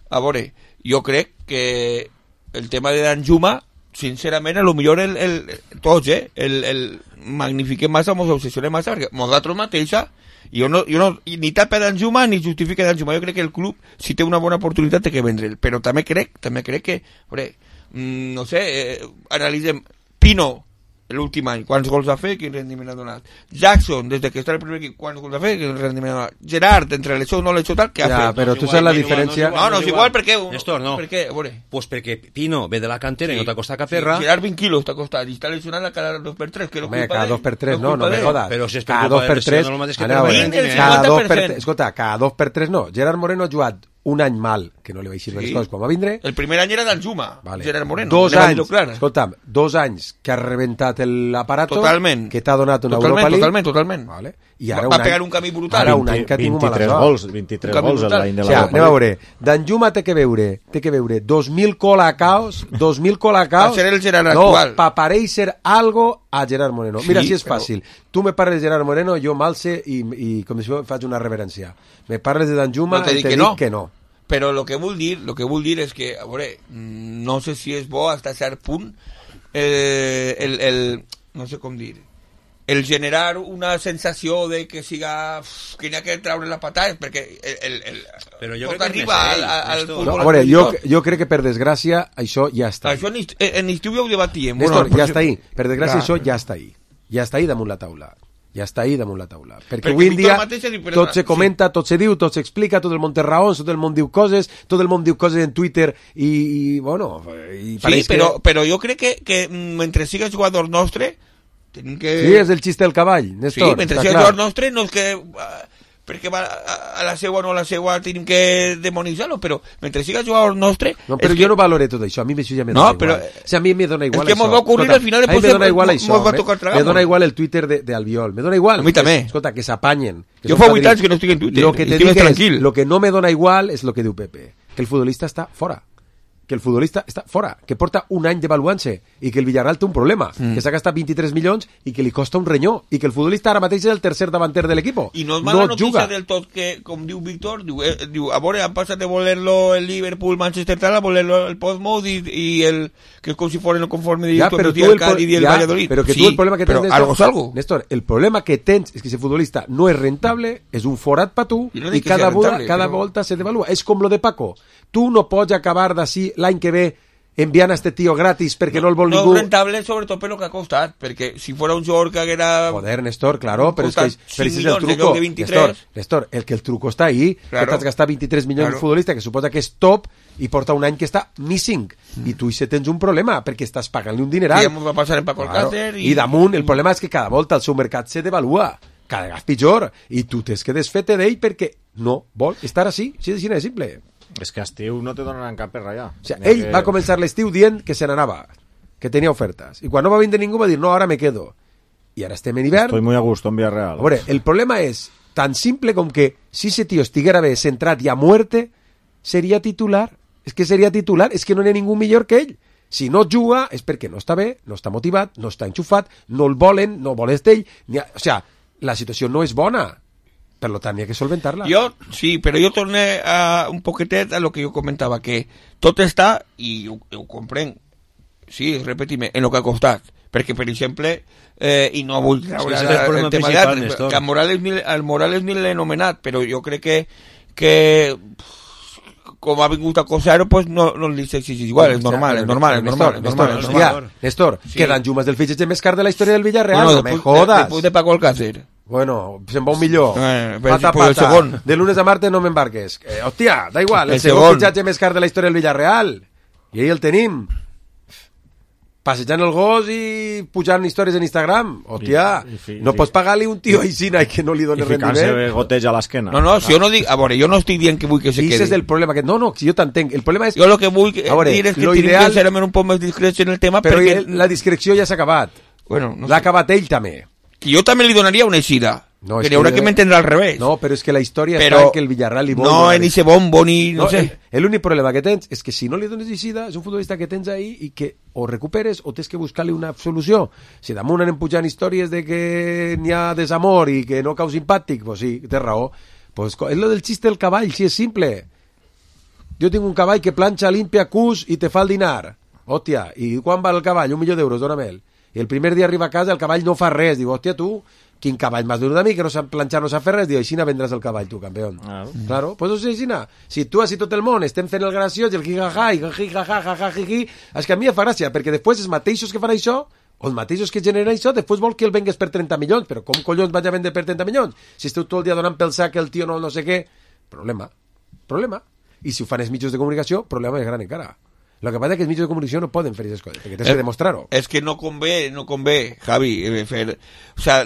a veure, jo crec que el tema de Danjuma, sincerament, a lo millor el, el, tots, eh, el, el magnifiquem massa, mos obsessionem massa, perquè nosaltres mateixa, jo no, jo no ni tapa Danjuma ni justifica Danjuma, jo crec que el club, si té una bona oportunitat, té que vendre'l, però també crec, també crec que, a veure, mm, no sé, eh, analitzem, Pino, l'últim any, quants gols ha fet, quin rendiment ha donat. Jackson, des que està el primer equip, quants gols ha fet, quin rendiment ha donat. Gerard, entre l'eixó o no l'eixó tal, què ha ja, fet? però No és tu igual, saps la no és igual, diferència... No, no és igual, per què? Néstor, no. Per què? A veure. Pues porque Pino ve de la cantera y no te costa Sí, perra. Gerard vint quilos t'ha costat, i està lesionada cada dos per tres, que no Home, culpa cada d'ell, dos per tres, no, culpa no me d'ell. jodas. Però si és per cada culpa dos de per lesió, tres, no el mateix que ara, per a veure, Vinga, el cada dos per cinquanta per cent. tres, escolta, cada dos per tres no. Gerard Moreno ha jugat un any mal, que no li vaig dir Sí. les coses com va vindre. El primer any era Danjuma, Vale. Gerard Moreno. Dos anem a anys, dir-ho clar. escolta'm, dos anys que ha rebentat l'aparato, Totalment. que t'ha donat una Totalment, Europa League. totalment, totalment. Vale. I ara Va- un va any, pegar un camí brutal. Ara un any que ha tingut mala vint-i-tres sort. gols, vint-i-tres Un canvi gols brutal. l'any de O la sigui, Europa anem a League. veure, Danjuma té que veure, té que veure dos mil colacaos, dos mil colacaos... Va ser el Gerard no, actual. pa pareixer algo a Gerard Moreno. Mira, Sí, si és però- fàcil. Tu me parles de Gerard Moreno, jo m'alce i, i com si faig una reverència. Me parles de Danjuma No te i dic te que dic no. que no. Però el que vull dir, lo que vull dir és que, a veure, mm, no sé si és bo fins a cert punt eh, el, el, no sé com dir, el generar una sensació de que siga uf, que n'hi ha que treure la patada, perquè el, el, el, Però jo tot crec que és arriba més al, ell, al Néstor. No, futbol a veure, jo, actual. jo crec que per desgràcia això ja està. Això en, est- en estiu ja ho debatíem. Néstor, Bueno, ja està ahí. Per desgràcia, Clar. això ja està ahí. Ja està ahí damunt la taula. Ja està ahí damunt la taula. Perquè, Perquè avui en Víctor dia mateix ha dit, tot perdona, se comenta, tot se diu, tot s'explica, tot el món té raons, tot el món diu coses, tot el món diu coses en Twitter i, i bueno... I Sí, pareix però, que... però jo crec que, que mm, mentre siga jugador nostre tenim que... Sí, és el xiste del cavall, Sí, Néstor. mentre està siga clar. jugador nostre no és que... ah, perquè va a, a la seua o no a la seua tenim que demonitzar-lo, però mentre siga jugador nostre... No, però és jo que... no valoré tot això, a mi això ja me No, dona però- igual. O sigui, a mi me dona igual És que això. mos va ocurrir, Escolta, al final, a mi després me dona mos- igual mos això. va me- tocar Me tragar-nos. dona igual el Twitter de, de Albiol. Me dona igual. A mi també. Escolta, que s'apanyen. que Jo són fa vuit padrins. anys que no estic en Twitter, Lo que te estic dic és, tranquil. lo que no me dona igual és lo que diu Pepe. Que el futbolista està fora. Que el futbolista està fora, que porta un any devaluant-se i que el Villarreal té un problema, Mm. que s'ha gastat vint-i-tres milions i que li costa un renyó i que el futbolista ara mateix és el tercer davanter de l'equip. I no és mala no notícia juga. del tot que, com diu Víctor, diu, eh, diu, a veure, han passat de voler-lo el Liverpool, Manchester tal, a voler-lo el Portsmouth i, i el, que és com si fuera no conforme de Ja, com però decía tu el el, pro- Cádiz y el ja, Valladolid. però que sí, tu el problema que tens, però Néstor, algo es algo. Néstor, el problema que tens és que ese futbolista no és rentable, és un forat per tu I no i dic que cada, sea volta, rentable, cada però- volta se devalua. És com lo de Paco. Tu no pots acabar d'ací l'any que ve enviant a este tío gratis perquè no, el vol No ningú. és rentable sobretot per lo que ha costat, perquè si fuera un jugador que haguera... Joder, Néstor, claro, pero es que Costat pero ese es cinc el milions en truco. lloc de vint-i-tres. Néstor, Néstor, el que el truco està ahí, Claro. que t'has gastat vint-i-tres milions Claro. de futbolista, que suposa que és top, i porta un any que està missing. I tu hi tens un problema, perquè estàs pagant-li un dineral. Que ja mos va passar en Paco Claro. Alcácer I... I damunt, el problema és que cada volta el seu mercat se devalua, cada vegada pitjor, i tu tens que desfer-te d'ell perquè no vol estar així, així de xina de simple. És que a estiu no te donaran cap per allà. O sigui, ell va començar l'estiu dient que se n'anava, que tenia ofertes, i quan no va vindre ningú va dir, no, ara me quedo. I ara estem en hivern. Estoy muy a gusto en Villarreal. A veure, el problema és tan simple com que si ese tío estiguera bé, centrat i a muerte, seria titular. És que seria titular, és que no n'hi ha ningú millor que ell. Si no juga és perquè no està bé, no està motivat, no està enxufat, no el volen, no vol ell. Ni ha... O sea, la situació no és bona. Per lo tant, hi ha que solventar-la. Jo, sí, però jo torné a un poquetet a lo que jo comentava, que tot està, i ho, ho comprenc, sí, repetime, en lo que ha costat. Perquè, per exemple, eh, i no vull treure sí, el, el tema d'altres, que el Morales, el Morales ni l'he anomenat, però jo crec que, que com ha vingut a Cosaro, pues no, no li s'exigeix igual, és normal, és normal, és normal, és normal, és normal. Néstor, que Danjuma és del fitxatge més car de la història del Villarreal, no me jodas. Després de Paco Alcácer. Bueno, se'n va un millor. Eh, pata, pata. El segon. De lunes a martes no m'embarques. Eh, hòstia, da igual, el, el segon, segon fitxatge més car de la història del Villarreal. I ahí el tenim. Passejant el gos i pujant històries en Instagram. Hòstia, I, i, i, no pots pagar-li un tio així i que no li doni rendiment. I ficar-se goteig a l'esquena. No, no, si jo no dic... A veure, jo no estic dient que vull que se quedi. Ese és el problema. Que, no, no, si jo t'entenc. El problema és... Jo el que vull que, veure, dir és que tinc ideal... que ser un poc més discrets en el tema però perquè... la discreció ja s'ha acabat. Bueno, no l'ha sé. acabat ell també. Que jo també li donaria una eixida. No, que n'hi haurà que m'entendre al revés. No, però és que la història però està en que el Villarreal li vol... No, en ese bombo ni... No, no sé. L'únic problema que tens és que si no li dones eixida, és un futbolista que tens ahí i que o recuperes o tens que buscar-li una solució. Si damunt anem pujant històries de que n'hi ha desamor i que no cau simpàtic, pues sí, té raó. Pues és lo del xiste del cavall, si és simple. Jo tinc un cavall que planxa, limpia, cus i te fa el dinar. Hòstia, i quan va el cavall? Un milió d'euros, dóna'm-el. I el primer dia arriba a casa el cavall no fa res. Diu, hòstia, tu... quin cavall m'has donat a mi, que no sap planxar, no sap fer res, diu, així vendràs el cavall, tu, campió. Claro. Claro, pues o sigui, així si tu, així tot el món, estem fent el graciós, i el jijaja, i el jijaja, jaja, jiji, és que a mi em fa gràcia, perquè després els mateixos que fan això, o els mateixos que generen això, després vol que el vengues per trenta milions, però com collons vaig a vendre per trenta milions? Si esteu tot el dia donant pel sac el tio no, no sé què, problema, problema. I si ho fan els mitjans de comunicació, problema més gran encara. Lo que pasa es que els mitjans de comunicació no poden fer aquestes coses, perquè tens que demostrar-ho. És que no convé, no convé, Javi, fer... O sea,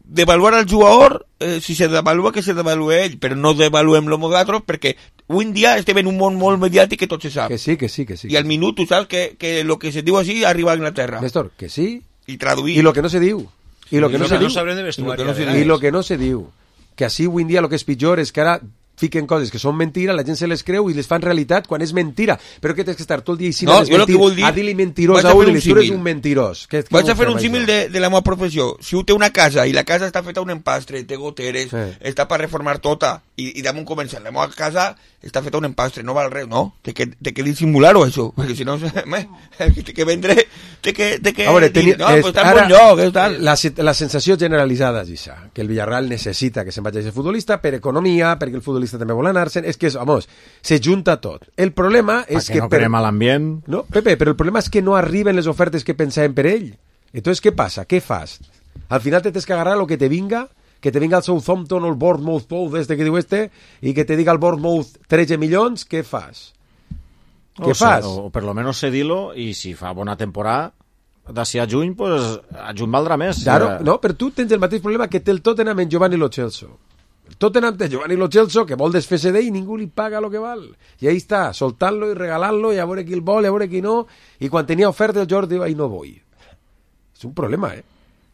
devaluar al jugador, eh, si se devalua, que se devalue ell, però no devaluem-lo nosaltres, perquè avui en dia estem en un món molt mediàtic que tot se sap. Que sí, que sí, que sí. I al minut tu saps que, que lo que se diu així arriba a Inglaterra. Néstor, que sí. I traduir. I lo que no se diu. I lo que no se diu. I lo que no se diu. Que així avui en dia lo que és pitjor és que ara fiquen coses que són mentira, la gent se les creu i les fan realitat quan és mentira. Però que tens que estar tot el dia i no, jo el que vull dir... A dir-li mentirós a un i tu eres un mentirós. Que, que vaig a fer un símil de, de la meva professió. Si u té una casa i la casa està feta un empastre, té goteres, sí. Està per reformar tota, i, i damunt començar, la meva casa està feta un empastre, no val res, no? Té que, té que dissimular-ho, això, perquè si no, té que vendre, té que, té que a veure, dir, teni, no, és, pues està en ara, bon lloc, és tal. La, la sensació generalitzada és això, que el Villarreal necessita que se'n vagi a ser futbolista per economia, perquè el futbolista també vol anar-se'n, és que, vamos, se junta tot. El problema és que... no per... creem a l'ambient... No, Pepe, però el problema és que no arriben les ofertes que pensàvem per ell. Entonces, què passa? Què fas? Al final te tens que agarrar lo que te vinga, que te vinga el Southampton o el Bournemouth Pou este que diu este, i que te diga el Bournemouth tretze milions, què fas? Què o fas? Sea, o per lo menos cedilo, i si fa bona temporada, d'ací a juny, pues, a juny valdrà més. Claro, no, però tu tens el mateix problema que té el Tottenham en Giovanni Lo Celso. El Tottenham té Giovanni Lo Celso, que vol desfer-se d'ell i ningú li paga lo que val. I ahí està, soltant-lo i regalant-lo, i a veure qui el vol, i a veure qui no, i quan tenia oferta el Jordi diu, ai, no vull. És un problema, eh?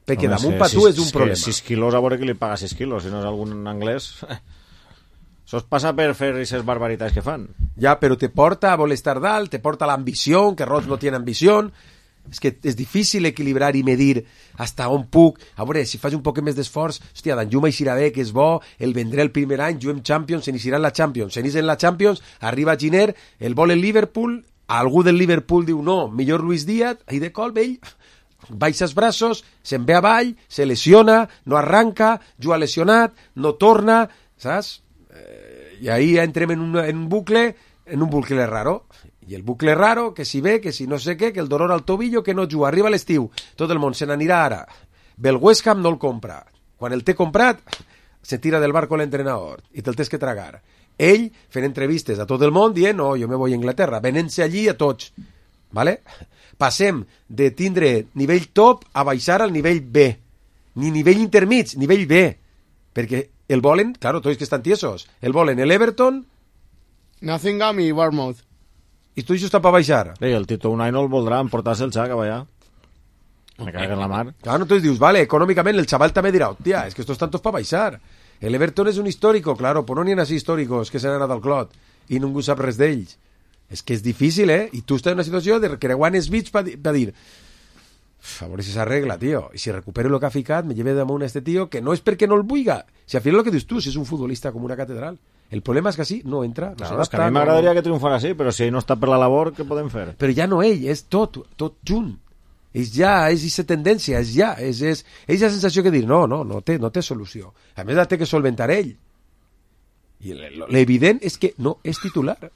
Perquè Home, damunt sí, per tu sis, és un problema. sis quilos, a veure qui li paga sis quilos, si no és algun anglès... Això es passa per fer aquestes barbaritats que fan. Ja, però te porta a voler estar dalt, te porta l'ambició, que Roig no tiene ambició. És que és difícil equilibrar i medir hasta on puc. A veure, si faig un poc més d'esforç, hòstia, Danjuma eixirà bé, que és bo, el vendré el primer any, juguem Champions, se n'eixirà en la Champions, se n'eix en la Champions, arriba Giner, el vol el Liverpool, algú del Liverpool diu no, millor Luis Díaz, i de col, vell, baixa els braços, se'n ve avall, se lesiona, no arranca, juga lesionat, no torna, saps? Eh, I ahí entrem en un, en un bucle, en un bucle raro. I el bucle raro, que si ve, que si no sé què, que el dolor al tobillo, que no juga, arriba l'estiu, tot el món se n'anirà ara. Ve el West Ham, no el compra. Quan el té comprat, se tira del barco l'entrenador i te'l tens que tragar. Ell fent entrevistes a tot el món dient, no, jo me voy a Inglaterra, venent-se allí a tots. ¿Vale? Passem de tindre nivell top a baixar al nivell B. Ni nivell intermig, nivell B. Perquè el volen, claro, tots que estan tiesos, el volen el Everton... Nottingham i Bournemouth. I tu això està per baixar. Ei, el Tito Unai no el voldrà emportar-se el xac a ballar. Me cago en la mar. Claro, entonces dius, vale, económicamente el chaval también dirá, hostia, es que estos tantos para baixar. El Everton és un histórico, claro, però no n'hi ha així històricos que s'han anat al clot i ningú sap res d'ells. És que és difícil, eh? I tu estàs en una situació de creuar els bits per dir a veure si s'arregla, tio. I si recupero el que ha ficat, me lleve damunt a este tio, que no és perquè no el vulga. Si al final el que dius tu, si és un futbolista com una catedral. El problema és que així no entra. No claro, és que a mi m'agradaria no... que triomfara així, però si ell no està per la labor, què podem fer? Però ja no ell, és tot, tot junt. És ja, és aquesta tendència, és ja, és, és, és la sensació que dir, no, no, no té, no té solució. A més, la té que solventar ell. I l'evident és que no és titular.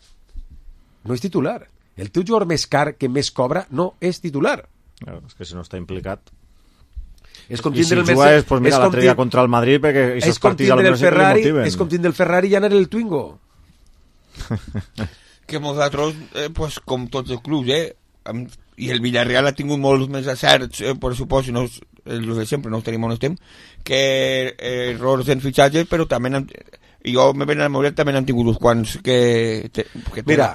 No és titular. El teu jugador més car que més cobra no és titular. Claro, és que si no està implicat... És com I si el juga és, pues mira, l'altre dia contra el Madrid, perquè aquests partits al menos sempre li motiven. És com tindre el Ferrari i anar el Twingo. Que nosaltres, eh, pues, com tots els clubs, eh, amb, i el Villarreal ha tingut molts més acerts, eh, per suposo, no, els de sempre, no els tenim on estem, que eh, errors en fitxatges, però també han, jo me ven a morir, també han tingut uns quants que... Te, que mira,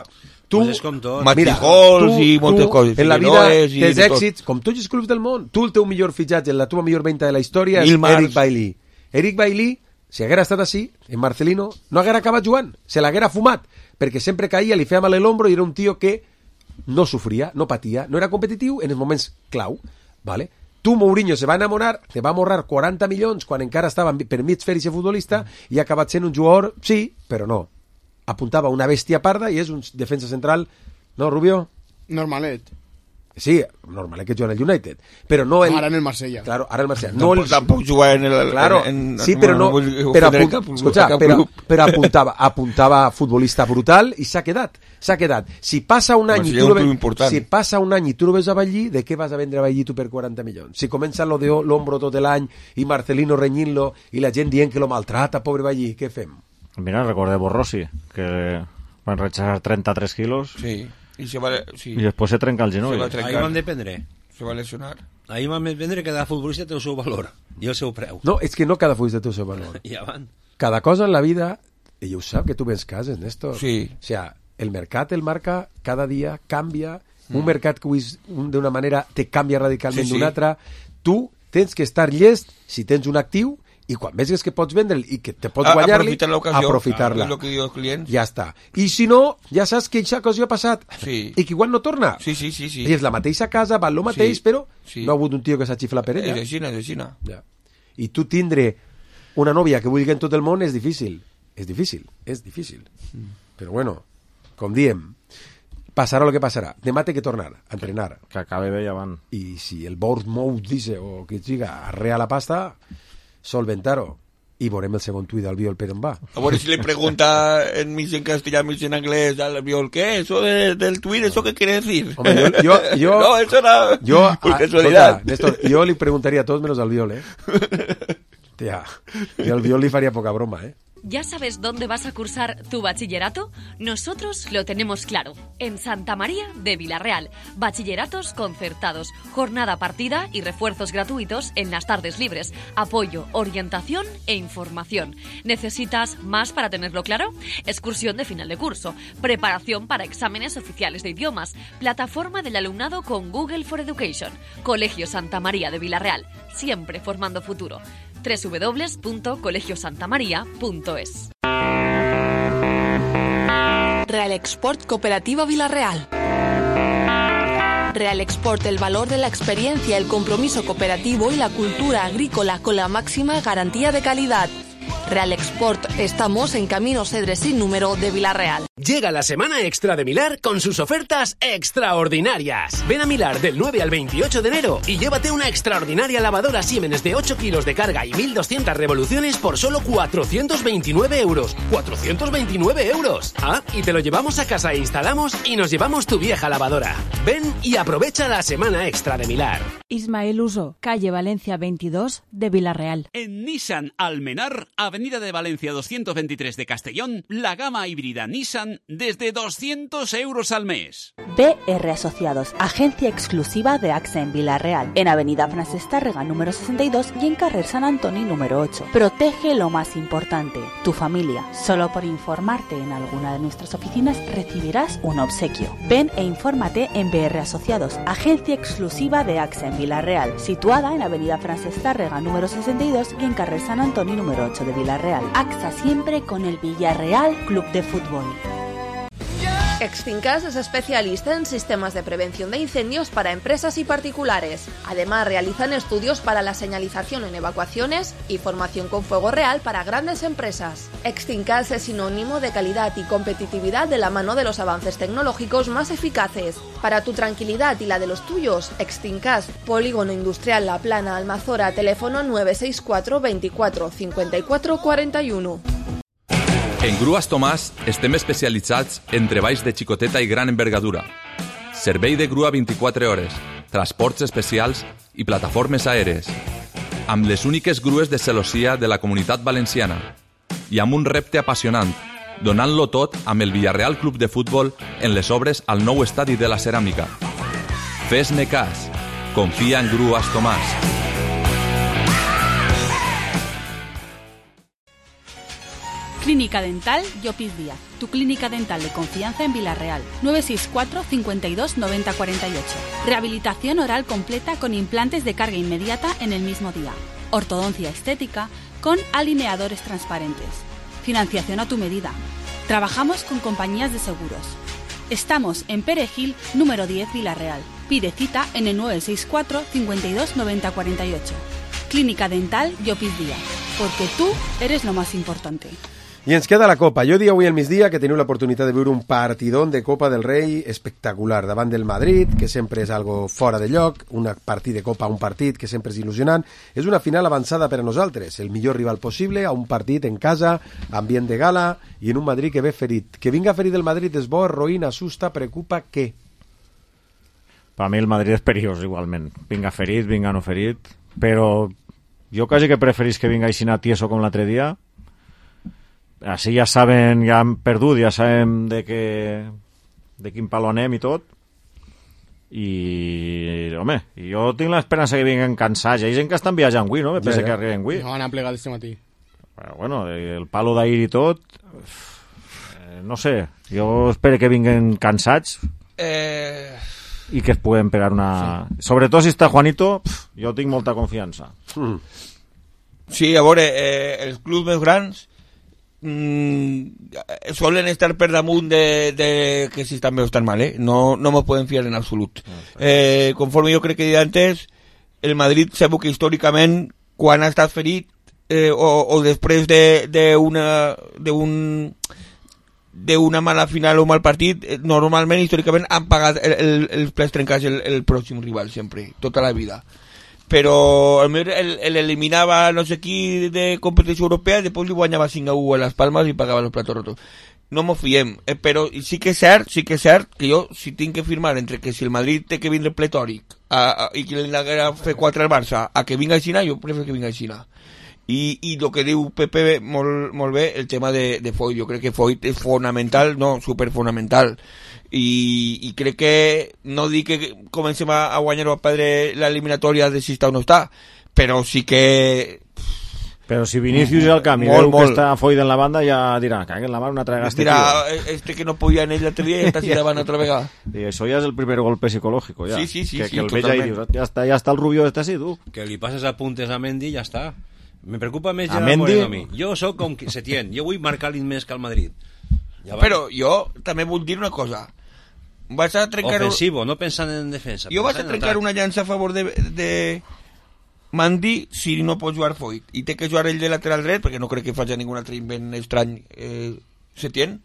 tu, pues matigols i moltes coses. En la vida tens èxits, com tots els clubs del món. Tu el teu millor fitxatge, la teva millor venda de la història és Eric Bailly. Eric Bailly, si haguera estat així, en Marcelino, no haguera acabat jugant, se l'haguera fumat, perquè sempre caïa, li feia mal l'ombro i era un tio que no sofria, no patia, no era competitiu en els moments clau, ¿vale? Tu, Mourinho, se va enamorar, te va morrar quaranta milions quan encara estava per mig fer i ser futbolista i ha acabat sent un jugador, sí, però no. Apuntava una bèstia parda i és un defensa central, no, Rubio? Normalet. Sí, normalet que juga en el United, però no el... Ara en el Marsella. Claro, ara el Marsella. No, no el... Tampoc juga en el... Claro, en, en, sí, però no... Però, apunt... cap, Escolta, cap però, però apuntava, apuntava futbolista brutal i s'ha quedat. S'ha quedat. Si passa un any i tu, ve... si passa un any i tu no ves a Ballí, de què vas a vendre a Ballí tu per quaranta milions? Si comença lo de l'ombro tot l'any i Marcelino renyint-lo i la gent dient que lo maltrata, pobre Ballí, què fem? Mira, recordeu Rossi, que van rechazar trenta-tres quilos. Sí. Y se va, sí. I després se trenca el genoll. Ahí van dependre. Se va lesionar. Ahí van dependre que cada futbolista té el seu valor i el seu preu. No, és que no cada futbolista té el seu valor. Ja van. Cada cosa en la vida, ella ho sap, que tu ves cases, Néstor. Sí. O sea, el mercat el marca cada dia, canvia. Mm. Un mercat que d'una manera te canvia radicalment sí, sí. d'una altra. Tu tens que estar llest si tens un actiu i quan veus que pots vendre'l i que te pots guanyar-li, aprofitar-la. Ah, ja està. I si no, ja saps que aquesta ocasió ha passat sí. i que igual no torna. Sí, sí, sí, sí. I és la mateixa casa, val el mateix, sí. però sí. no ha hagut un tio que s'ha xiflat per ella. És aixina, és aixina. Ja. I tu tindre una nòvia que vulgui en tot el món és difícil. És difícil, és difícil. Mm. Però bueno, com diem, passarà el que passarà. Demà té que tornar a entrenar. Que acabe bé ja van. I si el Bournemouth dice o que diga arrea la pasta, solventar-ho. I veurem el segon tuit d'Albiol per on va. A veure si le pregunta en mig en castellà, mig en anglès al Albiol, ¿qué? ¿Eso de, del tuit, eso qué quiere decir? Hombre, yo, yo, yo, no, eso era yo, por casualidad. Néstor, yo le preguntaría a todos menos al Albiol, ¿eh? Tía, yo al Albiol le faría poca broma, ¿eh? ¿Ya sabes dónde vas a cursar tu bachillerato? Nosotros lo tenemos claro. En Santa María de Villarreal. Bachilleratos concertados, jornada partida y refuerzos gratuitos en las tardes libres. Apoyo, orientación e información. ¿Necesitas más para tenerlo claro? Excursión de final de curso. Preparación para exámenes oficiales de idiomas. Plataforma del alumnado con Google for Education. Colegio Santa María de Villarreal. Siempre formando futuro. doble u doble u doble u punto colegio santa maría punto es. Real Export Cooperativa Villarreal. Real Export, el valor de la experiencia, el compromiso cooperativo y la cultura agrícola con la máxima garantía de calidad. Real Export, estamos en Camino Cedre sin número de Villarreal. Llega la semana extra de Milar con sus ofertas extraordinarias. Ven a Milar del nueve al veintiocho de enero y llévate una extraordinaria lavadora Siemens de ocho kilos de carga y mil doscientas revoluciones por solo cuatrocientos veintinueve euros. ¡cuatrocientos veintinueve euros! Ah, y te lo llevamos a casa e instalamos y nos llevamos tu vieja lavadora. Ven y aprovecha la semana extra de Milar. Ismael Uso, calle Valencia veintidós de Villarreal. En Nissan Almenar, Avenida de Valencia doscientos veintitrés de Castellón, la gama híbrida Nissan desde doscientos euros al mes. B R Asociados, agencia exclusiva de AXA en Vila-real, en Avenida Francesc Tárrega número sesenta y dos y en Carrer San Antoni número ocho. Protege lo más importante, tu familia. Solo por informarte en alguna de nuestras oficinas recibirás un obsequio. Ven e infórmate en B R Asociados, agencia exclusiva de AXA en Vila-real, situada en Avenida Francesc Tárrega número sesenta y dos y en Carrer San Antoni número ocho de Vila-real. AXA siempre con el Villarreal Club de Fútbol. Extincas es especialista en sistemas de prevención de incendios para empresas y particulares. Además, realizan estudios para la señalización en evacuaciones y formación con fuego real para grandes empresas. Extincas es sinónimo de calidad y competitividad de la mano de los avances tecnológicos más eficaces. Para tu tranquilidad y la de los tuyos, Extincas, Polígono Industrial La Plana, Almazora, teléfono nueve seis cuatro veinticuatro cincuenta y cuatro cuarenta y uno. En Grues Tomàs estem especialitzats en treballs de xicoteta i gran envergadura. Servei de grua vint-i-quatre hores, transports especials i plataformes aèries. Amb les úniques grues de celossia de la Comunitat Valenciana. I amb un repte apassionant, donant-lo tot amb el Villarreal Club de Futbol en les obres al nou estadi de la Ceràmica. Fes-ne cas. Confia en Grues Tomàs. Clínica Dental Llopis Díaz, tu clínica dental de confianza en Vila-real. nueve seis cuatro cincuenta y dos noventa cuarenta y ocho. Rehabilitación oral completa con implantes de carga inmediata en el mismo día. Ortodoncia estética con alineadores transparentes. Financiación a tu medida. Trabajamos con compañías de seguros. Estamos en Perejil, número diez, Vila-real. Pide cita en el nueve seis cuatro cincuenta y dos noventa cuarenta y ocho. Clínica Dental Llopis Díaz, porque tú eres lo más importante. I ens queda la Copa. Jo dia avui al migdia que teniu l'oportunitat de veure un partidón de Copa del Rei espectacular davant del Madrid, que sempre és algo fora de lloc, un partit de Copa, un partit que sempre és il·lusionant. És una final avançada per a nosaltres, el millor rival possible, a un partit en casa, ambient de gala, i en un Madrid que ve ferit. Que vinga ferit el Madrid és bo, roïna, asusta, preocupa, què? Per a mi el Madrid és perillós igualment. Vinga ferit, vinga no ferit, però jo quasi que preferís que vinga així tieso com l'altre dia. Així ja saben, ja han perdut, ja sabem de, que, de quin palo anem i tot. I, home, jo tinc l'esperança que vinguen cansats. Hi ha gent que estan viatjant avui, no? Me pensa ja, ja. que arriben avui. No, han plegat este matí. Però, bueno, el palo d'ahir i tot, eh, no sé, jo espero que vinguen cansats eh... i que es puguen pegar una... Sí. Sobretot si està Juanito, pf, jo tinc molta confiança. Mm. Sí, a veure, eh, els clubs més grans Mm, suelen estar per damunt de, de que si están bien o están mal, ¿eh? No, no me pueden fiar en absolut. Eh, conforme jo crec que he dit antes, el Madrid sabeu que històricament quan ha estat ferit eh, o, o després de, de una de un de una mala final o un mal partit, eh, normalment històricament han pagat el, el, els plats trencats el, el pròxim rival sempre, tota la vida. Però eliminava no sé qui de competició europea i després li guanyava cinc a u a les Palmes i pagava els platos rotos. No m'ho fiem, eh, però sí que és cert, sí que és cert que jo si tinc que firmar entre que si el Madrid té que vindre pletòric a, a, i que li haguera fer quatre al Barça a que vinga a Xina, jo prefer que vinga a Xina. I, i el que diu Pepe molt, molt bé, el tema de, de Foyt, jo crec que Foyt és fonamental, no, superfonamental. I, i crec que no dic que comencem a, a guanyar o a perdre l'eliminatòria de si està o no està, però sí que... Però si Vinícius al camp i veu que està Foyt en la banda ja dirà, cague en la mà una altra gasta. Dirà, este que no podia en ell l'altre dia i està si davant altra vegada. I això ja és el primer golpe psicològic, ja. Sí, sí, sí, que, sí, que el veig ahí, dius, ja està, ja està el Rubio este así, tu. Que li passes apuntes a Mendy i ja està. Me preocupa més a ja Mendy... a mi. Jo sóc com Setién, jo vull marcar l'In més que el Madrid. Ja però jo també vull dir una cosa. Vas a trencar... Ofensivo, no pensant en defensa. Jo vas a trencar una llança a favor de, de Mendy si no pot jugar Foyt. I té que jugar ell de lateral dret, perquè no crec que faci ningun altre invent estrany eh, Setién.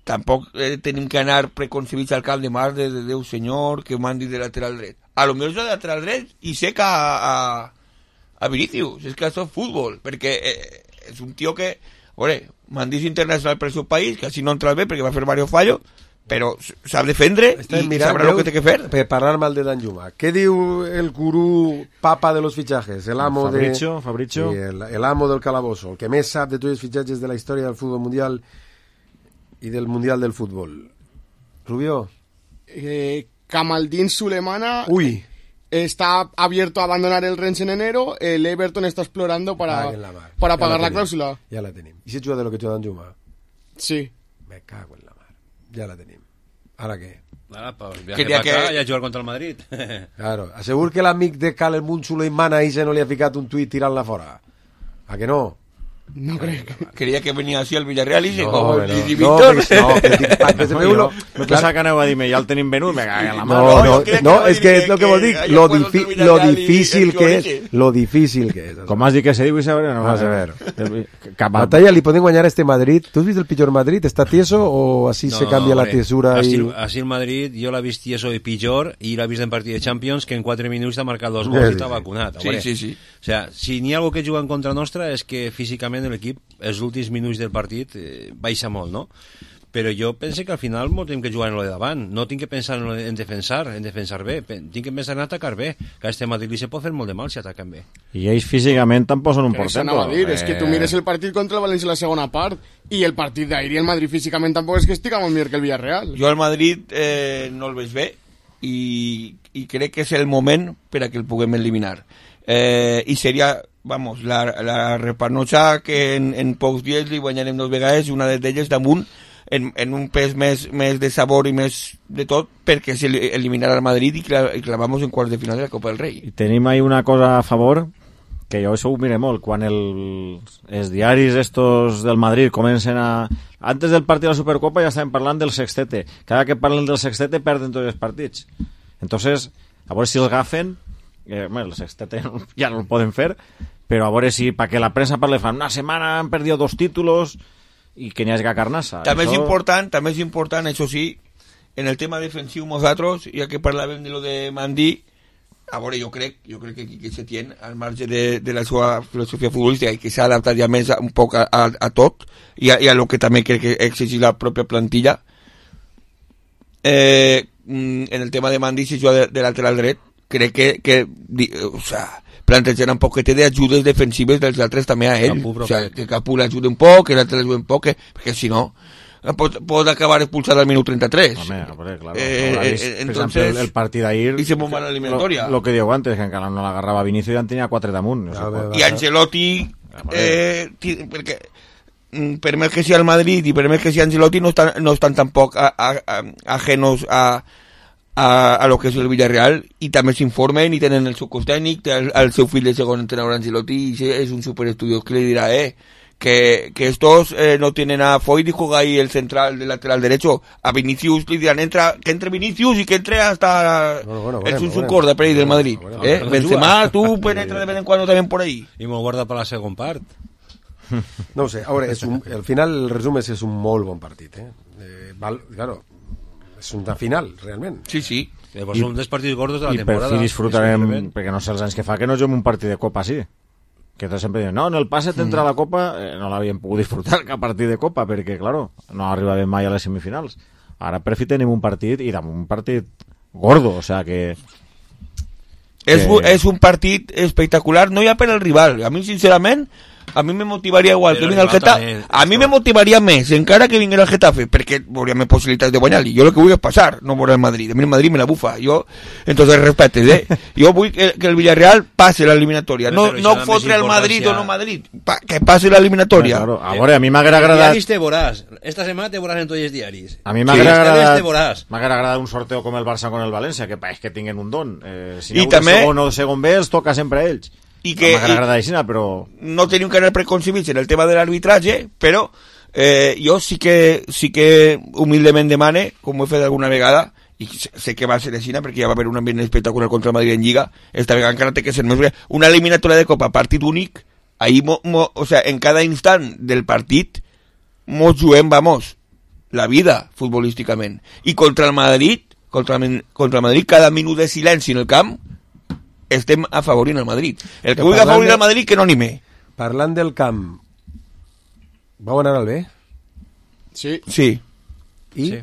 Tampoc eh, tenim que anar preconcebits al camp de mar de, de Déu senyor, que Mendy de lateral dret. A lo millor és de lateral dret i seca a, a, a Vinícius. És que això és futbol, perquè eh, és un tio que... Veure, Mendy és internacional per el seu país, que així no entra bé perquè va fer varios fallos, però sap defendre Estem i mirant, sabrà el que té que fer. Per parlar mal de Danjuma. Què diu el gurú papa de los fichajes? El amo Fabricio, de... Fabricio. Sí, el, el amo del calabozo, el que més sap de tots els fitxatges de la història del futbol mundial i del mundial del futbol. Rubio. Eh, Kamaldin Sulemana... Uy. Está abierto a abandonar el Rennes en enero. El Everton está explorando para, la para ja pagar la, la cláusula. Ja la tenim. I si juga de lo que juga Danjuma? Sí. Me cago en la mar. Ja la tenim. Ara què? Ara, pues viaje para acá y a jugar contra el Madrid. Claro. Assegur que l'amic de Kalemun Suleiman ahí se no li ha ficat un tuit tirant-la fora. A que no? No crec. Creia que venia així al Villarreal i se No, com no, el no, Víctor. perquè- no, que dic, pa- que se veu lo- No pensava que aneu a dir-me, ja el tenim venut, me cago en la No, mà. no, crec que no, va és dir que que- és lo que que vos dic, haya lo, juegos difi del lo Villarreal y difícil el que és, Florence. lo difícil que és. Com has dit que se diu, Isabel? No Vas a ver. Cap a... Batalla, li poden guanyar a este Madrid. Tu has vist el pitjor Madrid? ¿Está tieso o así se cambia la hombre, tiesura? Así, Y... así el Madrid, yo la he visto eso de pitjor y la he visto en partido de Champions que en cuatro minutos ha marcado dos Sí, gols sí, y está sí. vacunat. Sí, hombre. sí, sí. O sea, si n'hi ha algo que juga en contra nostra és que físicament l'equip, els últims minuts del partit, eh, baixa molt, no? Però jo penso que al final no tenim que jugar en lo de davant, no tinc que pensar en, lo de, en defensar, en defensar bé, Pen- tinc que pensar en atacar bé, que a este Madrid li se pot fer molt de mal si ataquen bé. I ells físicament tampoc són un Eso portento. anava a dir, es que tú Eh, mires el partido contra el Valencia en la segunda parte y el partido de ahí y el Madrid físicamente tampoco es que estica molt millor que el Villarreal. Jo al Madrid eh, no el veig bé i, i crec que és el moment per a que el puguem eliminar. Eh, I seria, vamos, la, la repanotxa que en, en pocs dies li guanyarem dos vegades, una d'elles damunt, en, en un pes més, més de sabor i més de tot, perquè se eliminarà el Madrid i, cla, i clavamos en quarts de final de la Copa del Rei. I tenim ahí una cosa a favor, que jo això ho mire molt, quan el, els diaris estos del Madrid comencen a... Antes del partit de la Supercopa ja estaven parlant del sextete. Cada que parlen del sextete perden tots els partits. Entonces, a veure si els agafen, eh, bueno, el sextete ja no el poden fer, però a veure si, perquè la premsa parla, fan una setmana han perdido dos títulos i que n'hi hagi carnassa. També és Això- important, també és important, això sí, en el tema defensiu nosaltres, ja que parlàvem de lo de Mandí, a veure, jo crec, jo crec que, que se tien al marge de, de la seva filosofia futbolística i que s'ha adaptat ja més a, un poc a, a, a tot i a, i a lo que també crec que exigir la pròpia plantilla. Eh, en el tema de Mandí, si juga de, de lateral dret, crec que, que di, o sea, plantejar un poquet d'ajudes defensives dels altres també a ell. Capú, o sea, que Capú l'ajudi un poc, que l'altre l'ajudi un poc, que, perquè si no pot, pot acabar expulsat al minut trenta-tres. Home, hombre, claro. Eh, Habrá eh, visto, por entonces, ejemplo, el, el partido de ayer... y se bomba la eliminatoria. Lo, lo que digo antes, que encara no l'agarrava Vinicius i ja en tenia quatre damunt. No sé quant. I Ancelotti, eh, ti- perquè mm, per més que sigui el Madrid i per més que sigui Ancelotti no estan, no estan tampoc a, a, a, ajenos a, a, a lo que és el Villarreal i també s'informen i tenen el seu cos tècnic, té el, el seu fill de segon entrenador Ancelotti i ese és un superestudiós que li dirà eh, que, que estos eh, no tienen a Foyt y juega ahí el central del lateral derecho, a Vinicius le dirán entra, que entre Vinicius y que entre hasta Bueno, bueno, el bueno, Sunsun bueno. Corda per ahí del Madrid, bueno, eh? bueno, Benzema, juga. tú penetra de vez en cuando también por ahí. I me'l guarda per la segon part. No ho sé, a veure, és un, al final el resum és, és un molt bon partit, eh? eh val, claro, és una final, realment. Sí, sí. Eh, pues són dels partits gordos de la I per temporada. fi disfrutarem, Disfrutarem. perquè no sé els anys que fa que no juguem un partit de Copa així. Que tots sempre diuen, no, en el passe t'entra Mm. la Copa, eh, no l'havíem pogut disfrutar cap partit de Copa, perquè, claro, no arribàvem mai a les semifinals. Ara per fi tenim un partit, i damunt un partit gordo, o sea que... És, que- és un partit espectacular, no ja per el rival. A mi, sincerament, a mi me motivaria igual Però que vinga el el rival Getafe. també, A mi me motivaria més, encara que vinguera el Getafe, perquè veuria més possibilitats de guanyar-li. Jo el que vull és passar, no veure el Madrid. A mi el Madrid me la bufa. Jo, entonces, respetes, eh? Jo vull que, que el Villarreal passe l'eliminatòria. No, Però no això també és fotre el Madrid o importància. no Madrid. Pa, que passe l'eliminatòria. Claro, a veure, a mi m'haguera agradat... Diaris te veuràs. Esta setmana te veuràs en tots els diaris. A mi Sí, m'haguera esta vez agradat, te veuràs. m'haguera agradat un sorteo com el Barça con el València, que pareix que tinguen un don. Eh, si I n'hi ha també- segon o segon B, els toca sempre a ells. I que- M'haguera i- agradat així, però... No tenim que anar preconcebits en el tema de l'arbitratge, però eh, jo sí que, sí que humilment demane, com ho he fet alguna vegada, i sé sé que va ser així, perquè ja va haver un ambient espectacular contra el Madrid en Lliga, esta vegada encara té que ser més bé. Una eliminatòria de Copa, partit únic, ahí mo, mo, o sea, en cada instant del partit mos juguem, vamos, la vida futbolísticament. I contra el Madrid, contra, el- contra el Madrid, cada minut de silenci en el camp, estem afavorint el Madrid. El que Que vulgui parlant afavorir de- el Madrid, que no anime. Parlant del camp, vau anar al B? Sí. Sí. I? Sí.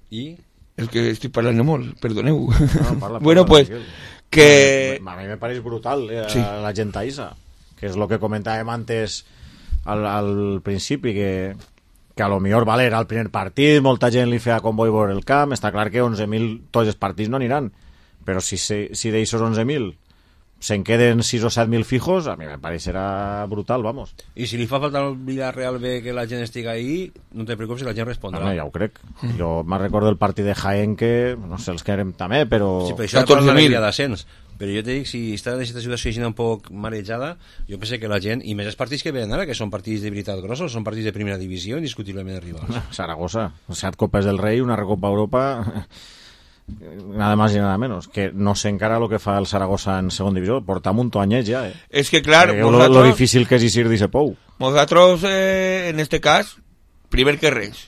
I? És que estic parlant molt, perdoneu. No, parla, bueno, parla, pues, que... A mi me pareix brutal eh, Sí. la gent aïssa, que és el que comentàvem antes al, al principi, que, que a lo millor vale, era el primer partit, molta gent li feia comboi vora el camp, està clar que onze mil tots els partits no aniran, però si, si, si d'aixos onze mil se'n queden sis o set mil fijos, a mi me pareixerà brutal, vamos. I si li fa falta al Villarreal bé que la gent estiga ahí, no te preocupes, la gent respondrà. Home, ja ho crec. Jo me'n recordo el partit de Jaén que, no sé, els que érem també, però... Sí, però això és la alegria d'ascens. Però jo te dic, si està en aquesta situació així un poc marejada, jo penso que la gent, i més els partits que venen ara, que són partits de veritat grossos, són partits de primera divisió, indiscutiblement rivals. Saragossa, set copes del Rei, una Recopa Europa... nada más y nada menos, que no sé encara lo que fa el Saragossa en segona divisió, portam un toanyet ja, eh? És que clar, eh, lo, lo difícil que és eixir d'ese pou. Nosaltres, eh, en este cas, primer que res,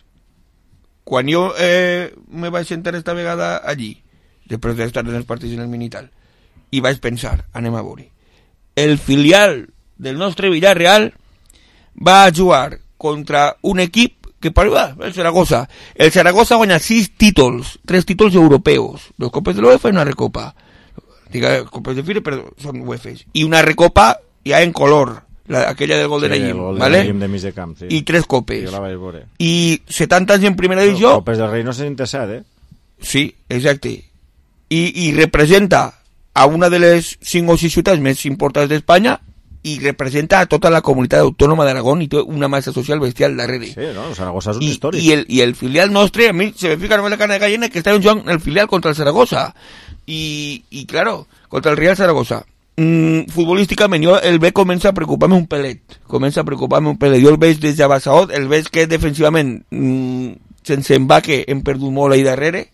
quan jo eh, me vaig sentar esta vegada allí, després d'estar en els partits en el Minital, i vaig pensar, anem a veure, el filial del nostre Villarreal va a jugar contra un equip que parla, el Zaragoza. El Zaragoza guanya sis títols, tres títols europeos, dos copes de l'UEFA i una recopa. Diga, copes de Fire, però són UEFAs. I una recopa ja en color, la, aquella del Golden sí, Ayim, el ¿vale? de mig de camp, sí. I tres copes. Jo la vaig veure. I setanta anys en primera divisió. Copes del Rei no se sente set, eh? Sí, exacte. I, i representa a una de les cinc o sis ciutats més importants d'Espanya i representa a tota la comunitat autònoma d'Aragón i té una massa social bestial darrere. Sí, no? El Saragossa és un I, històric. I el, I el filial nostre, a mi se me fica només la carne de gallina que estava jugant el filial contra el Zaragoza. I, i claro, contra el Real Zaragoza. Mm, futbolísticament, jo el ve comença a preocupar-me un pelet. Comença a preocupar-me un pelet. Jo el veig des de Bassaot, el veig que defensivament, mm, sense embaque, hem perdut molt ahí darrere.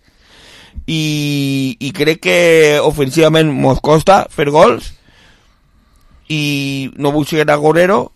I, i crec que ofensivament mos costa fer gols. I no vull ser agorero,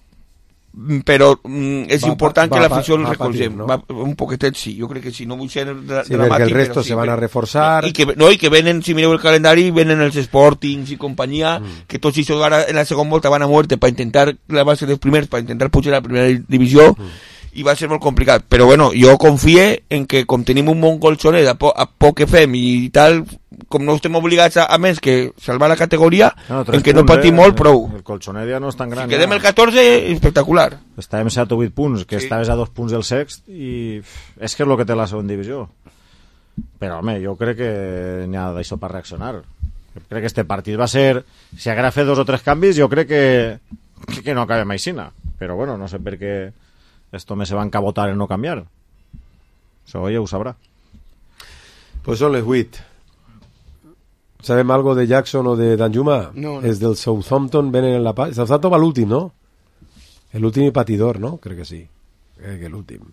però mm, és va, important va, que l'afició el va recolzem, patir, no? va, un poquetet sí, jo crec que sí, no vull ser dra sí, dramàtic, perquè el resto però sí, se van però, a reforçar i que, no, i que venen, si mireu el calendari, venen els Sportings i companyia, mm. que tots ells ara en la segona volta van a muerte per intentar clavar-se dels primers, per intentar pujar a la primera divisió, mm. i va ser molt complicat, però bueno, jo confie en que com tenim un bon colxonet a, po a poc que fem i tal, com no estem obligats a, a més que salvar la categoria, no, en que no patim molt, prou. El colxonet ja no és tan gran. Si quedem ja. el catorze, espectacular. Estàvem set o vuit punts, que sí. estaves a dos punts del sext, i és que és el que té la segona divisió. Però, home, jo crec que n'hi ha d'això per reaccionar. Jo crec que este partit va ser... Si haguera fet dos o tres canvis, jo crec que, que, que no acabem aixina. Però, bueno, no sé per què esto me se va a encabotar en no canviar. Això ella ho sabrà. Pues son les vuit. ¿Sabem algo de Jackson o de Danjuma? No, no. Es del Southampton, ven en la paz. Southampton va l'últim, no? L'últim patidor, no? Crec que sí. Crec que l'últim.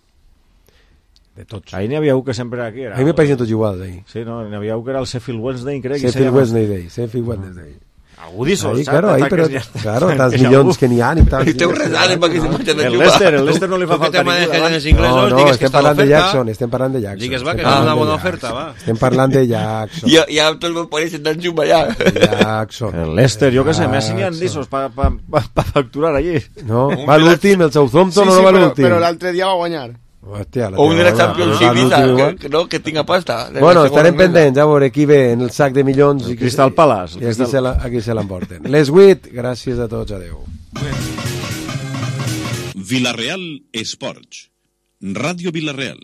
De tots. Ahí n'hi havia un que sempre era aquí. Era a mi me pareixen tots iguals, ahí. Sí, no? N'hi havia un que era el Sheffield Wednesday, crec. Sheffield Wednesday Day. Sheffield Wednesday. Algú disso, ahí, claro, ahí, però, ja... claro, tants milions que n'hi ha i tal. I té un resalt per que se marxen el Leicester, el Leicester no li fa falta ningú. No, no, estem parlant de Jackson, estem parlant de Jackson. Digues, va, que és una bona oferta, va. Estem parlant de Jackson. Ja, ja tot el meu país està en Jumba, ja. Jackson. El Leicester, jo que sé, més n'hi ha dissos per pa, pa, pa facturar allí. No, va l'últim, el Southampton sí, no sí, va però, l'últim. però l'altre dia va guanyar. Hòstia, o un de la Championship, que, que, no, que tinga pasta. Bueno, estarem pendents, a veure qui ve en el sac de milions. El Crystal Palace. I aquí se, la, aquí se l'emporten. Les vuit, gràcies a tots, adeu. Villarreal Esports. Ràdio Villarreal.